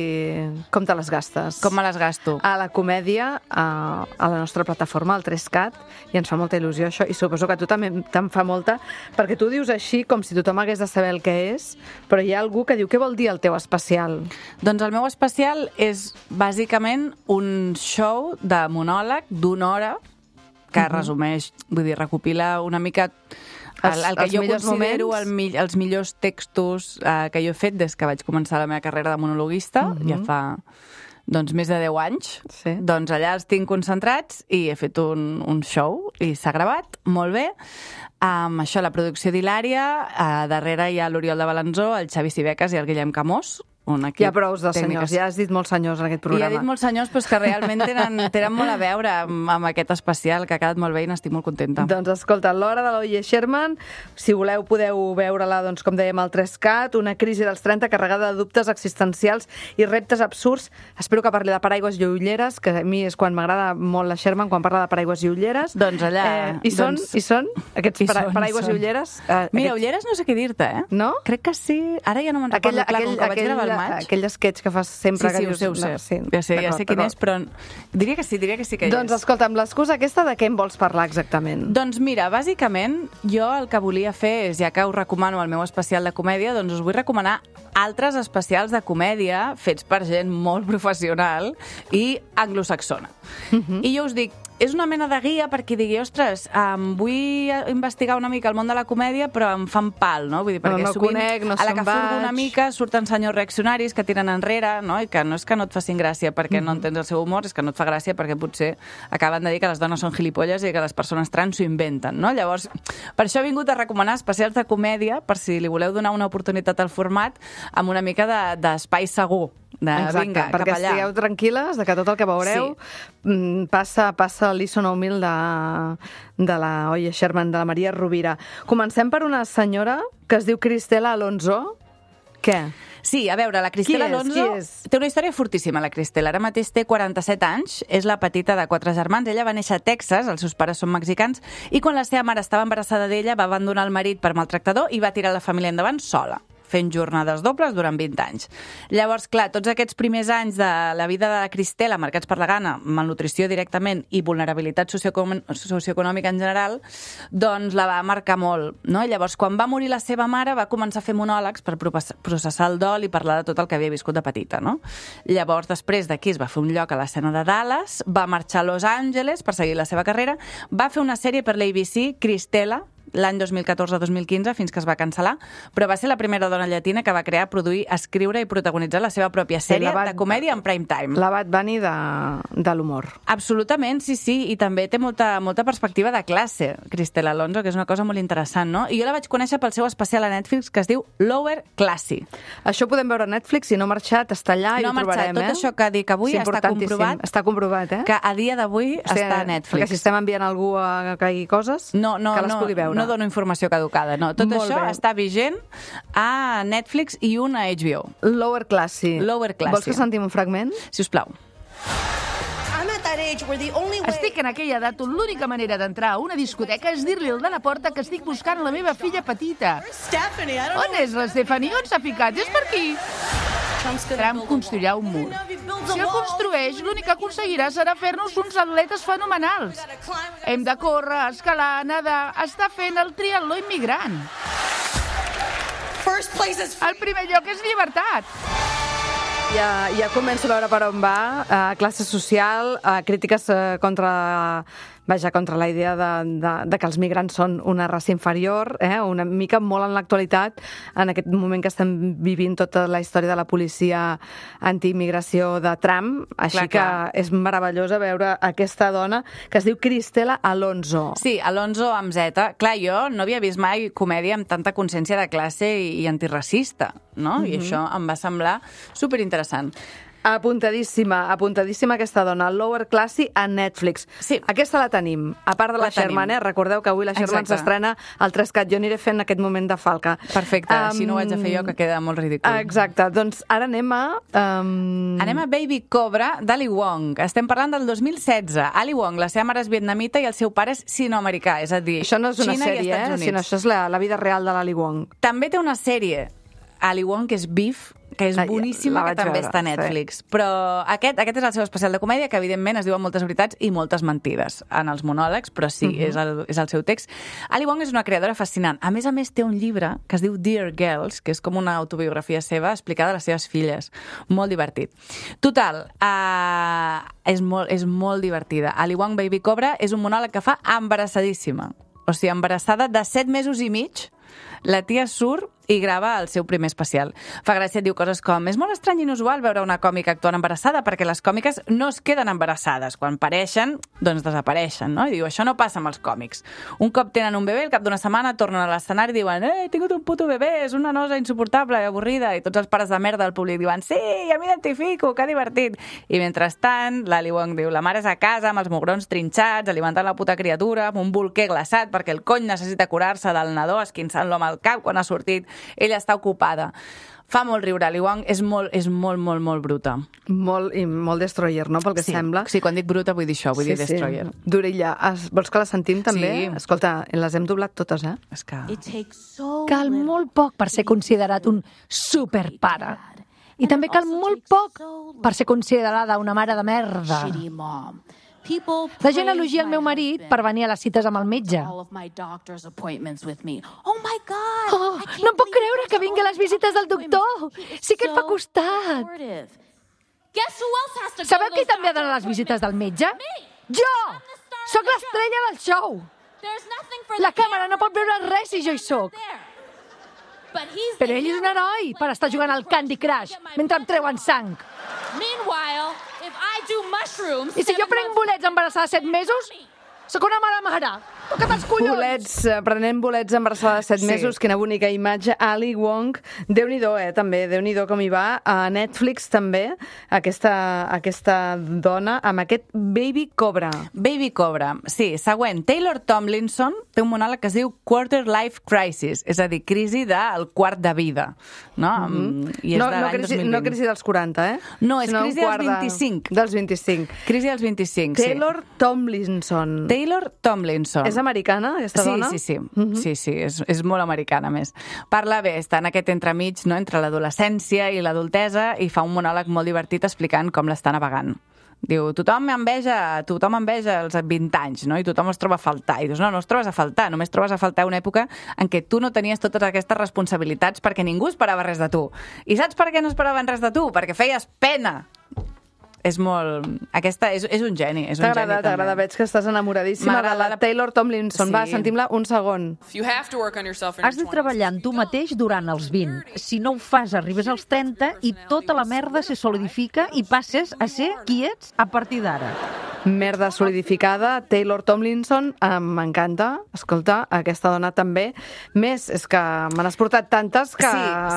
com te les gastes. Com me les gasto? A la comèdia, a, a la nostra plataforma, al tres cat, i ens fa molta il·lusió això, i suposo que a tu també te'n fa molta, perquè tu dius així com si tothom hagués de saber el que és, però hi ha algú que diu, què vol dir el teu especial? Doncs el meu especial és bàsicament un show de monòleg d'una hora que resumeix, vull dir, recopila una mica el, el que Els- els jo millors considero moments. el, mi- els millors textos eh, que jo he fet des que vaig començar la meva carrera de monologuista, ja fa doncs, més de deu anys. Sí. Doncs allà els tinc concentrats i he fet un, un show i s'ha gravat molt bé. Amb això, la producció d'Hilària, a darrere hi ha l'Oriol de Balanzó, el Xavi Sibecas i el Guillem Camós, un equip Ja prou de tècnic senyors, que- ja has dit molts senyors en aquest i programa. he dit molts senyors però és que realment tenen, tenen molt a veure amb, amb aquest especial, que ha quedat molt bé i n'estic molt contenta. Doncs escolta, l'hora de l'Oye Sherman, si voleu podeu veure-la, doncs, com dèiem, al tres cat, una crisi dels trenta carregada de dubtes existencials i reptes absurds. Espero que parli de paraigües i ulleres, que a mi és quan m'agrada molt la Sherman, quan parla de paraigües i ulleres. Doncs allà, Eh, I són, doncs- i són aquests I para són, paraigües són. i ulleres? Eh, Mira, aquests- ulleres no sé què dir-te, eh? No? Crec que sí. Ara ja no me'n recordo, Aquell, clar, aquell, com que vaig aquell, gravar al maig. aquell sketch que fas sempre sí, que sí, dius... ho sé, ho sé. No, sí, ja sé, ja d'acord, sé quin d'acord. és, però diria que sí, diria que sí que hi Doncs és. escolta, amb l'excusa aquesta, de què em vols parlar exactament? Doncs mira, bàsicament, jo el que volia fer és, ja que us recomano el meu especial de comèdia, doncs us vull recomanar altres especials de comèdia fets per gent molt professional i anglosaxona. Mhm. I jo us dic, és una mena de guia per qui digui, ostres, um, vull investigar una mica el món de la comèdia, però em fan pal, no? Vull dir, No, perquè no sovint, conec, no a la se'n que furgo una vaig. mica, surten senyors reaccionaris que tiren enrere, no? I que no és que no et facin gràcia perquè no entens el seu humor, és que no et fa gràcia perquè potser acaben de dir que les dones són gilipolles i que les persones trans s'ho inventen, no? Llavors, per això he vingut a recomanar especials de comèdia, per si li voleu donar una oportunitat al format, amb una mica de- d'espai segur. De, Exacte, vinga, perquè cap allà. estigueu tranquil·les de que tot el que veureu sí. passa, passa a l'I S O nou mil de, de la Oye Sherman, de la Maria Rovira. Comencem per una senyora que es diu Cristela Alonso. Què? Sí, a veure, la Cristela Qui és? Alonso Qui és? té una història fortíssima, la Cristela. Ara mateix té quaranta-set anys, és la petita de quatre germans. Ella va néixer a Texas, els seus pares són mexicans, i quan la seva mare estava embarassada d'ella va abandonar el marit per maltractador i va tirar la família endavant sola, fent jornades dobles durant vint anys. Llavors, clar, tots aquests primers anys de la vida de la Cristela, marcats per la gana, malnutrició directament i vulnerabilitat socioecon- socioeconòmica en general, doncs la va marcar molt, no? Llavors, quan va morir la seva mare, va començar a fer monòlegs per propes- processar el dol i parlar de tot el que havia viscut de petita, no? Llavors, després d'aquí es va fer un lloc a l'escena de Dallas, va marxar a Los Angeles per seguir la seva carrera, va fer una sèrie per l'A B C, Cristela, l'any dos mil catorze dos mil quinze fins que es va cancel·lar, però va ser la primera dona llatina que va crear, produir, escriure i protagonitzar la seva pròpia sèrie la va- de comèdia en prime time. La Bad Bunny de, de l'humor. Absolutament, sí, sí, i també té molta, molta perspectiva de classe, Cristela Alonso, que és una cosa molt interessant, no? I jo la vaig conèixer pel seu especial a Netflix que es diu Lower Classy. Això ho podem veure a Netflix, si no ha marxat, està allà No i ha ho marxat. trobarem, Tot eh? això que dic avui Sí, està importantíssim. comprovat. Està comprovat, eh? Que a dia d'avui O sigui, està a Netflix. Perquè si estem enviant algú a que caigui coses, No, no, que les no, pugui veure. no dono informació caducada, no. Tot Molt això bé. està vigent a Netflix i un a H B O. Lower Classy. Lower Classy. Vols que sentim un fragment? Si us plau. Estic en aquella edat on l'única manera d'entrar a una discoteca és dir-li al de la porta que estic buscant la meva filla petita. On és la Stephanie? On s'ha ficat? És per aquí. Trump construirà un mur. Si el construeix, l'únic que aconseguirà serà fer-nos uns atletes fenomenals. Hem de córrer, escalar, nedar, està fent el triatló immigrant. El primer lloc és llibertat. Ja, ja començo a veure per on va. Uh, classe social, uh, crítiques uh, contra... Vaja, contra la idea de, de, de que els migrants són una raça inferior, eh? Una mica molt en l'actualitat, en aquest moment que estem vivint tota la història de la policia antiimmigració de Trump, així Clar, que clar. és meravellosa veure aquesta dona que es diu Cristela Alonso. Sí, Alonso amb Z. Clar, jo no havia vist mai comèdia amb tanta consciència de classe i, i antiracista, no? Mhm. I això em va semblar superinteressant. Apuntadíssima, apuntadíssima aquesta dona, Lower Classy a Netflix. Sí. Aquesta la tenim, a part de la, La tenim. Sherman, eh? Recordeu que avui la Sherman Exacte. s'estrena al Trescat. Jo aniré fent aquest moment de falca. Perfecte, Um, si no ho haig de fer jo, que queda molt ridícul. Exacte, doncs ara anem a... Um... Anem a Baby Cobra d'Ali Wong. Estem parlant del dos mil setze. Ali Wong, la seva mare és vietnamita i el seu pare és sinoamericà, és a dir, Això no és una Xina i sèrie, Estats eh? Units. Sinó això és la, la vida real de l'Ali Wong. També té una sèrie, Ali Wong, que és Beef, que és Ah, boníssima, la que vaig també veure, està a Netflix. Sí. Però aquest, aquest és el seu especial de comèdia, que evidentment es diuen moltes veritats i moltes mentides en els monòlegs, però sí, uh-huh. és, el, és el seu text. Ali Wong és una creadora fascinant. A més a més, té un llibre que es diu Dear Girls, que és com una autobiografia seva explicada a les seves filles. Molt divertit. Total, uh, és, molt, és molt divertida. Ali Wong Baby Cobra és un monòleg que fa embarassadíssima. O sigui, embarassada de set mesos i mig, la tia surt i grava el seu primer especial. Fa gràcia, diu coses com: és molt estrany i inusual veure una còmica actuant embarassada perquè les còmiques no es queden embarassades. Quan pareixen, doncs desapareixen, no? I diu, això no passa amb els còmics. Un cop tenen un bebè, al cap d'una setmana tornen a l'escenari i diuen: eh, he tingut un puto bebè, és una nosa insuportable i avorrida. I tots els pares de merda del públic diuen: sí, ja m'identifico, que divertit. I mentrestant, l'Ali Wong diu: la mare és a casa amb els mugrons trinxats, alimentant la puta criatura, amb un bolquer glaçat perquè el cony necessita curar-se del nadó esquinçant-lo amb el cap quan ha sortit. Ella està ocupada. Fa molt riure, Ali Wong és molt, és molt, molt, molt bruta. Molt, i molt destroyer, no?, pel que Sí, sembla. sí, quan dic bruta vull dir això, vull dir destroyer. Sí. D'orella. Es- Vols que la sentim també? Sí. Escolta, les hem doblat totes, eh? És que... Cal molt poc per ser considerat un superpare. I també cal molt poc per ser considerada una mare de merda. La gent elogia el meu marit per venir a les cites amb el metge. Oh, no em puc creure que vingui a les visites del doctor. Sí que et fa costat. Sabeu qui també ha d'anar a les visites del metge? Jo! Soc l'estrella del show. La càmera no pot veure res si jo hi soc. Però ell és un heroi per estar jugant al Candy Crush mentre em treuen sang. I si jo prenc bolets embarassada de set mesos, sóc una mala mare. Toca't els collons! Bolets, eh, prenent bolets embarassada de set Sí. mesos, quina bonica imatge. Ali Wong, Déu-n'hi-do, eh, també, Déu-n'hi-do com hi va. A Netflix també, aquesta, aquesta dona, amb aquest Baby Cobra. Baby Cobra. Sí, següent. Taylor Tomlinson té un monòleg que es diu Quarter Life Crisis, és a dir, crisi del quart de vida. No, mm-hmm. I és no, de no, l'any crisi, dos mil vint. no crisi dels quaranta, eh? No, és Sinó un crisi dels quart de- vint-i-cinc. Dels vint-i-cinc. Crisi dels vint-i-cinc, sí. Taylor Tomlinson. Taylor Tomlinson. És americana, aquesta sí, dona? Sí, sí, mm-hmm. sí, sí, és, és molt americana, a més. Parla bé, està en aquest entremig, no?, entre l'adolescència i l'adultesa, i fa un monòleg molt divertit explicant com l'està navegant. Diu, tothom enveja, tothom enveja els vint anys, no?, i tothom els troba a faltar. I dius, no, no els trobes a faltar, només trobes a faltar una època en què tu no tenies totes aquestes responsabilitats perquè ningú esperava res de tu. I saps per què no esperaven res de tu? Perquè feies pena. és molt... Aquesta és, és un geni, és un geni T'agrada, també. t'agrada. Veig que estàs enamoradíssima de M'agrada la la- Taylor Tomlinson. Sí. Va, sentim-la un segon. Has de treballar en tu mateix durant els vint. Si no ho fas, arribes als trenta i tota la merda se solidifica i passes a ser qui ets a partir d'ara. Merda solidificada, Taylor Tomlinson, eh, m'encanta. Escolta, aquesta dona també. Més, és que me n'has portat tantes que... Sí,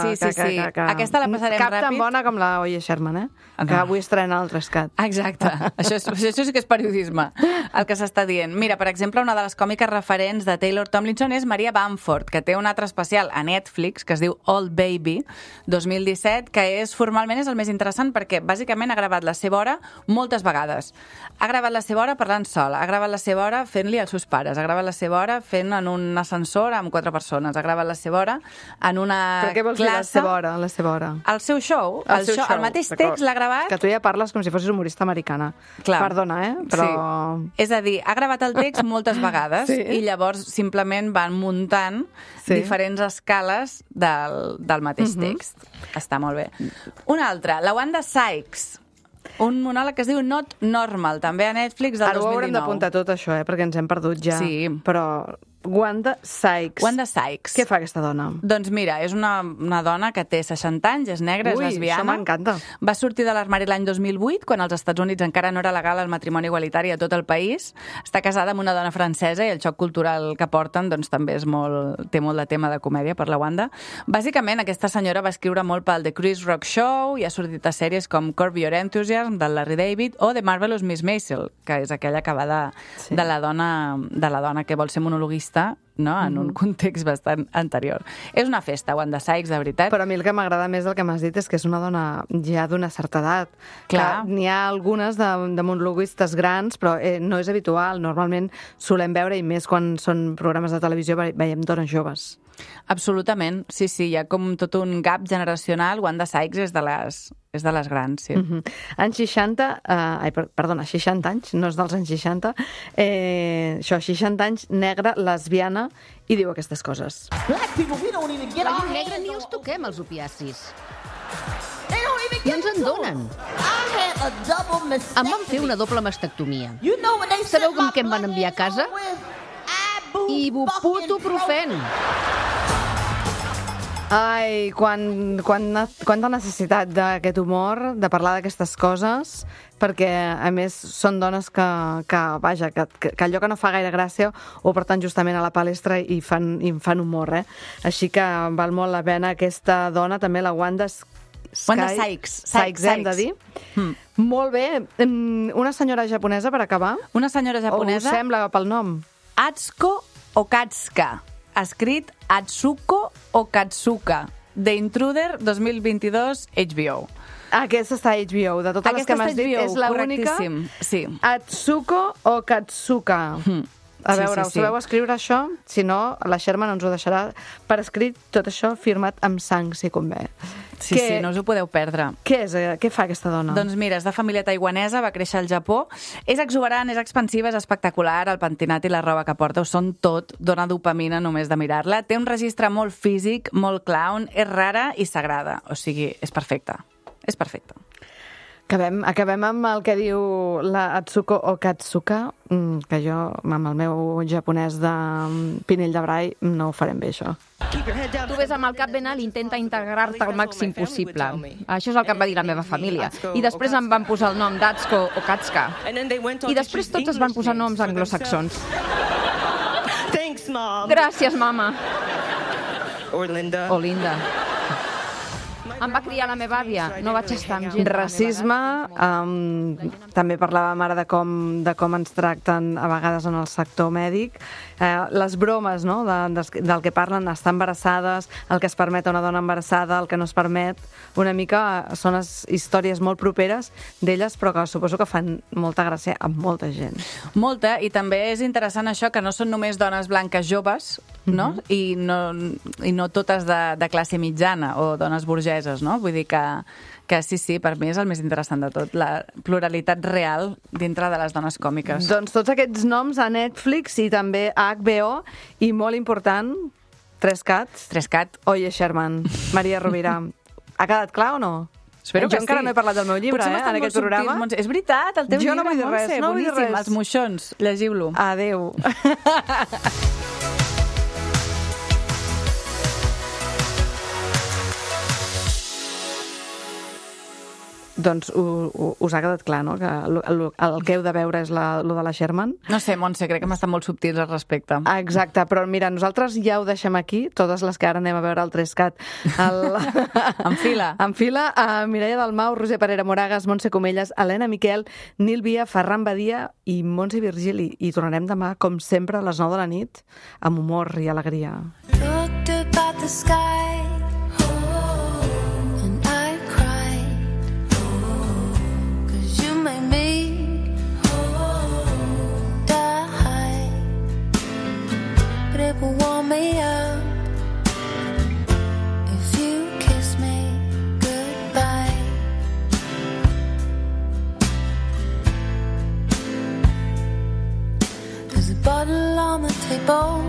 sí, sí, que, que, sí. que, que... Aquesta la passarem Cap tan ràpid. bona com la Oye Sherman, eh? No. Que avui estrena el Rescat. Exacte. Això, és, això sí que és periodisme, el que s'està dient. Mira, per exemple, una de les còmiques referents de Taylor Tomlinson és Maria Bamford, que té un altre especial a Netflix, que es diu Old Baby, dos mil disset, que és formalment és el més interessant perquè bàsicament ha gravat la seva hora moltes vegades. Ha gravat la seva hora parlant sola, ha gravat la seva hora fent-li als seus pares, ha gravat la seva hora fent en un ascensor amb quatre persones, ha gravat la seva hora en una Però què vols dir, la classe... seva hora? La seva hora? El seu show, el, seu show, el mateix text l'ha gravat... Que tu ja parles com si fossis humorista americana. Clar. Perdona, eh? Però... Sí. És a dir, ha gravat el text moltes vegades Sí. i llavors simplement van muntant Sí. diferents escales del, del mateix Mhm. text. Està molt bé. Una altra, la Wanda Sykes. Un monòleg que es diu Not Normal, també a Netflix del Ara ho dos mil haurem dinou. d'apuntar tot això, eh? Perquè ens hem perdut ja. Sí. Però Wanda Sykes. Wanda Sykes. Què fa aquesta dona? Doncs mira, és una, una dona que té seixanta anys, és negra, Ui, és lesbiana. això m'encanta. Va sortir de l'armari l'any dos mil vuit, quan als Estats Units encara no era legal el matrimoni igualitari a tot el país. Està casada amb una dona francesa i el xoc cultural que porten doncs, també és molt, té molt de tema de comèdia per la Wanda. Bàsicament, aquesta senyora va escriure molt pel The Chris Rock Show i ha sortit a sèries com Curb Your Enthusiasm, del Larry David, o The Marvelous Miss Maisel, que és aquella que va de, Sí. de, la dona, de la dona que vol ser monologuista, no? En un context bastant anterior. És una festa, Wanda Sykes, de veritat. Però a mi el que m'agrada més del que m'has dit és que és una dona ja d'una certa edat. Clar. Que n'hi ha algunes de, de monologuistes grans, però eh, no és habitual. Normalment solem veure, i més quan són programes de televisió, ve- veiem dones joves. Absolutament, sí, sí, hi ha com tot un gap generacional. Wanda Sykes és de les, és de les grans, sí. Mm -hmm. Anys seixanta, eh, ai, per, perdona, seixanta anys, no és dels anys seixanta, eh, això, seixanta anys, negra, lesbiana, i diu aquestes coses. La llum negra ni els toquem, els opiacis. I ens en donen. Em van fer una doble mastectomia. Sabeu com que em van enviar a casa? Ibuprofen. Ai, quan, quan, quanta necessitat d'aquest humor, de parlar d'aquestes coses, perquè, a més, són dones que, que vaja, que, que, que allò que no fa gaire gràcia ho porten justament a la palestra i fan, i fan humor, eh? Així que val molt la pena aquesta dona, també la Wanda Sky, Wanda Sykes. Sykes, hem de dir. Mm. Molt bé. Em, Una senyora japonesa, per acabar? Una senyora japonesa... O us sembla pel nom? Atsuko Okatsuka, escrit Atsuko Okatsuka, The Intruder dos mil vint-i-dos, H B O. Aquesta està a H B O. De totes les Aquesta que m'has està a dit, H B O, és l'única... correctíssim, sí. Atsuko o Katsuka. Mm. A Sí, veure, sí, us sí. sabeu escriure això? Si no, la Sherman ens ho deixarà per escrit, tot això firmat amb sang, si convé. Sí, Què- sí, no us ho podeu perdre. Què és? eh, Què fa aquesta dona? Doncs mira, és de família taiwanesa, va créixer al Japó. És exuberant, és expansiva, és espectacular, el pentinat i la roba que porta ho són tot, dona dopamina només de mirar-la. Té un registre molt físic, molt clown, és rara i sagrada. O sigui, és perfecta. És perfecta. Acabem, acabem amb el que diu la Atsuko o Katsuka, mm, que jo, amb el meu japonès de mm, Pinell de Brai, no ho farem bé, això. Tu ves amb el cap ben alt i intenta integrar-te al màxim possible. Això és el que em va dir la meva família. I després em van posar el nom d'Atsuko o Katsuka. I després tots es van posar noms anglosaxons. Gràcies, mama. O Linda. Em va criar la meva àvia. No vaig estar amb gent. Racisme, um, també parlàvem ara de com, de com ens tracten a vegades en el sector mèdic, eh, les bromes, no?, de, de, del que parlen, estar embarassades, el que es permet a una dona embarassada, el que no es permet, una mica són les històries molt properes d'elles, però que suposo que fan molta gràcia a molta gent. Molta, i també és interessant això, que no són només dones blanques joves, no? Mm-hmm. I, no i no totes de, de classe mitjana o dones burgeses, no? Vull dir que, que sí, sí, per mi és el més interessant de tot, la pluralitat real dintre de les dones còmiques. Doncs tots aquests noms a Netflix i també a H B O, i molt important, Tres Cats. Tres Cat. Oye Sherman, Maria Rovira. Ha quedat clar o no? Espero jo que encara sí. no he parlat del meu llibre, Potser eh, m'estan en molt aquest programa. subtils, Montse. És veritat, el teu Jo llibre, no vull dir res, Montse, no vull dir boníssim, res. Els moixons, llegiu-lo. Adéu. Doncs u, u, us ha quedat clar, no?, que el, el, el que heu de veure és la, lo de la Sherman. No sé, Montse, crec que m'estan molt subtils al respecte. Exacte, però mira, nosaltres ja ho deixem aquí, totes les que ara anem a veure al Trescat. El... en fila. En fila, a Mireia Dalmau, Roser Parera Moragas, Montse Comelles, Helena Miquel, Nil Via, Ferran Badia i Montse Virgili. I tornarem demà, com sempre, a les nou de la nit, amb humor i alegria. Looked up at the sky, and I cried, 'cause you made me die, but it will warm me up if you kiss me goodbye. There's a bottle on the table,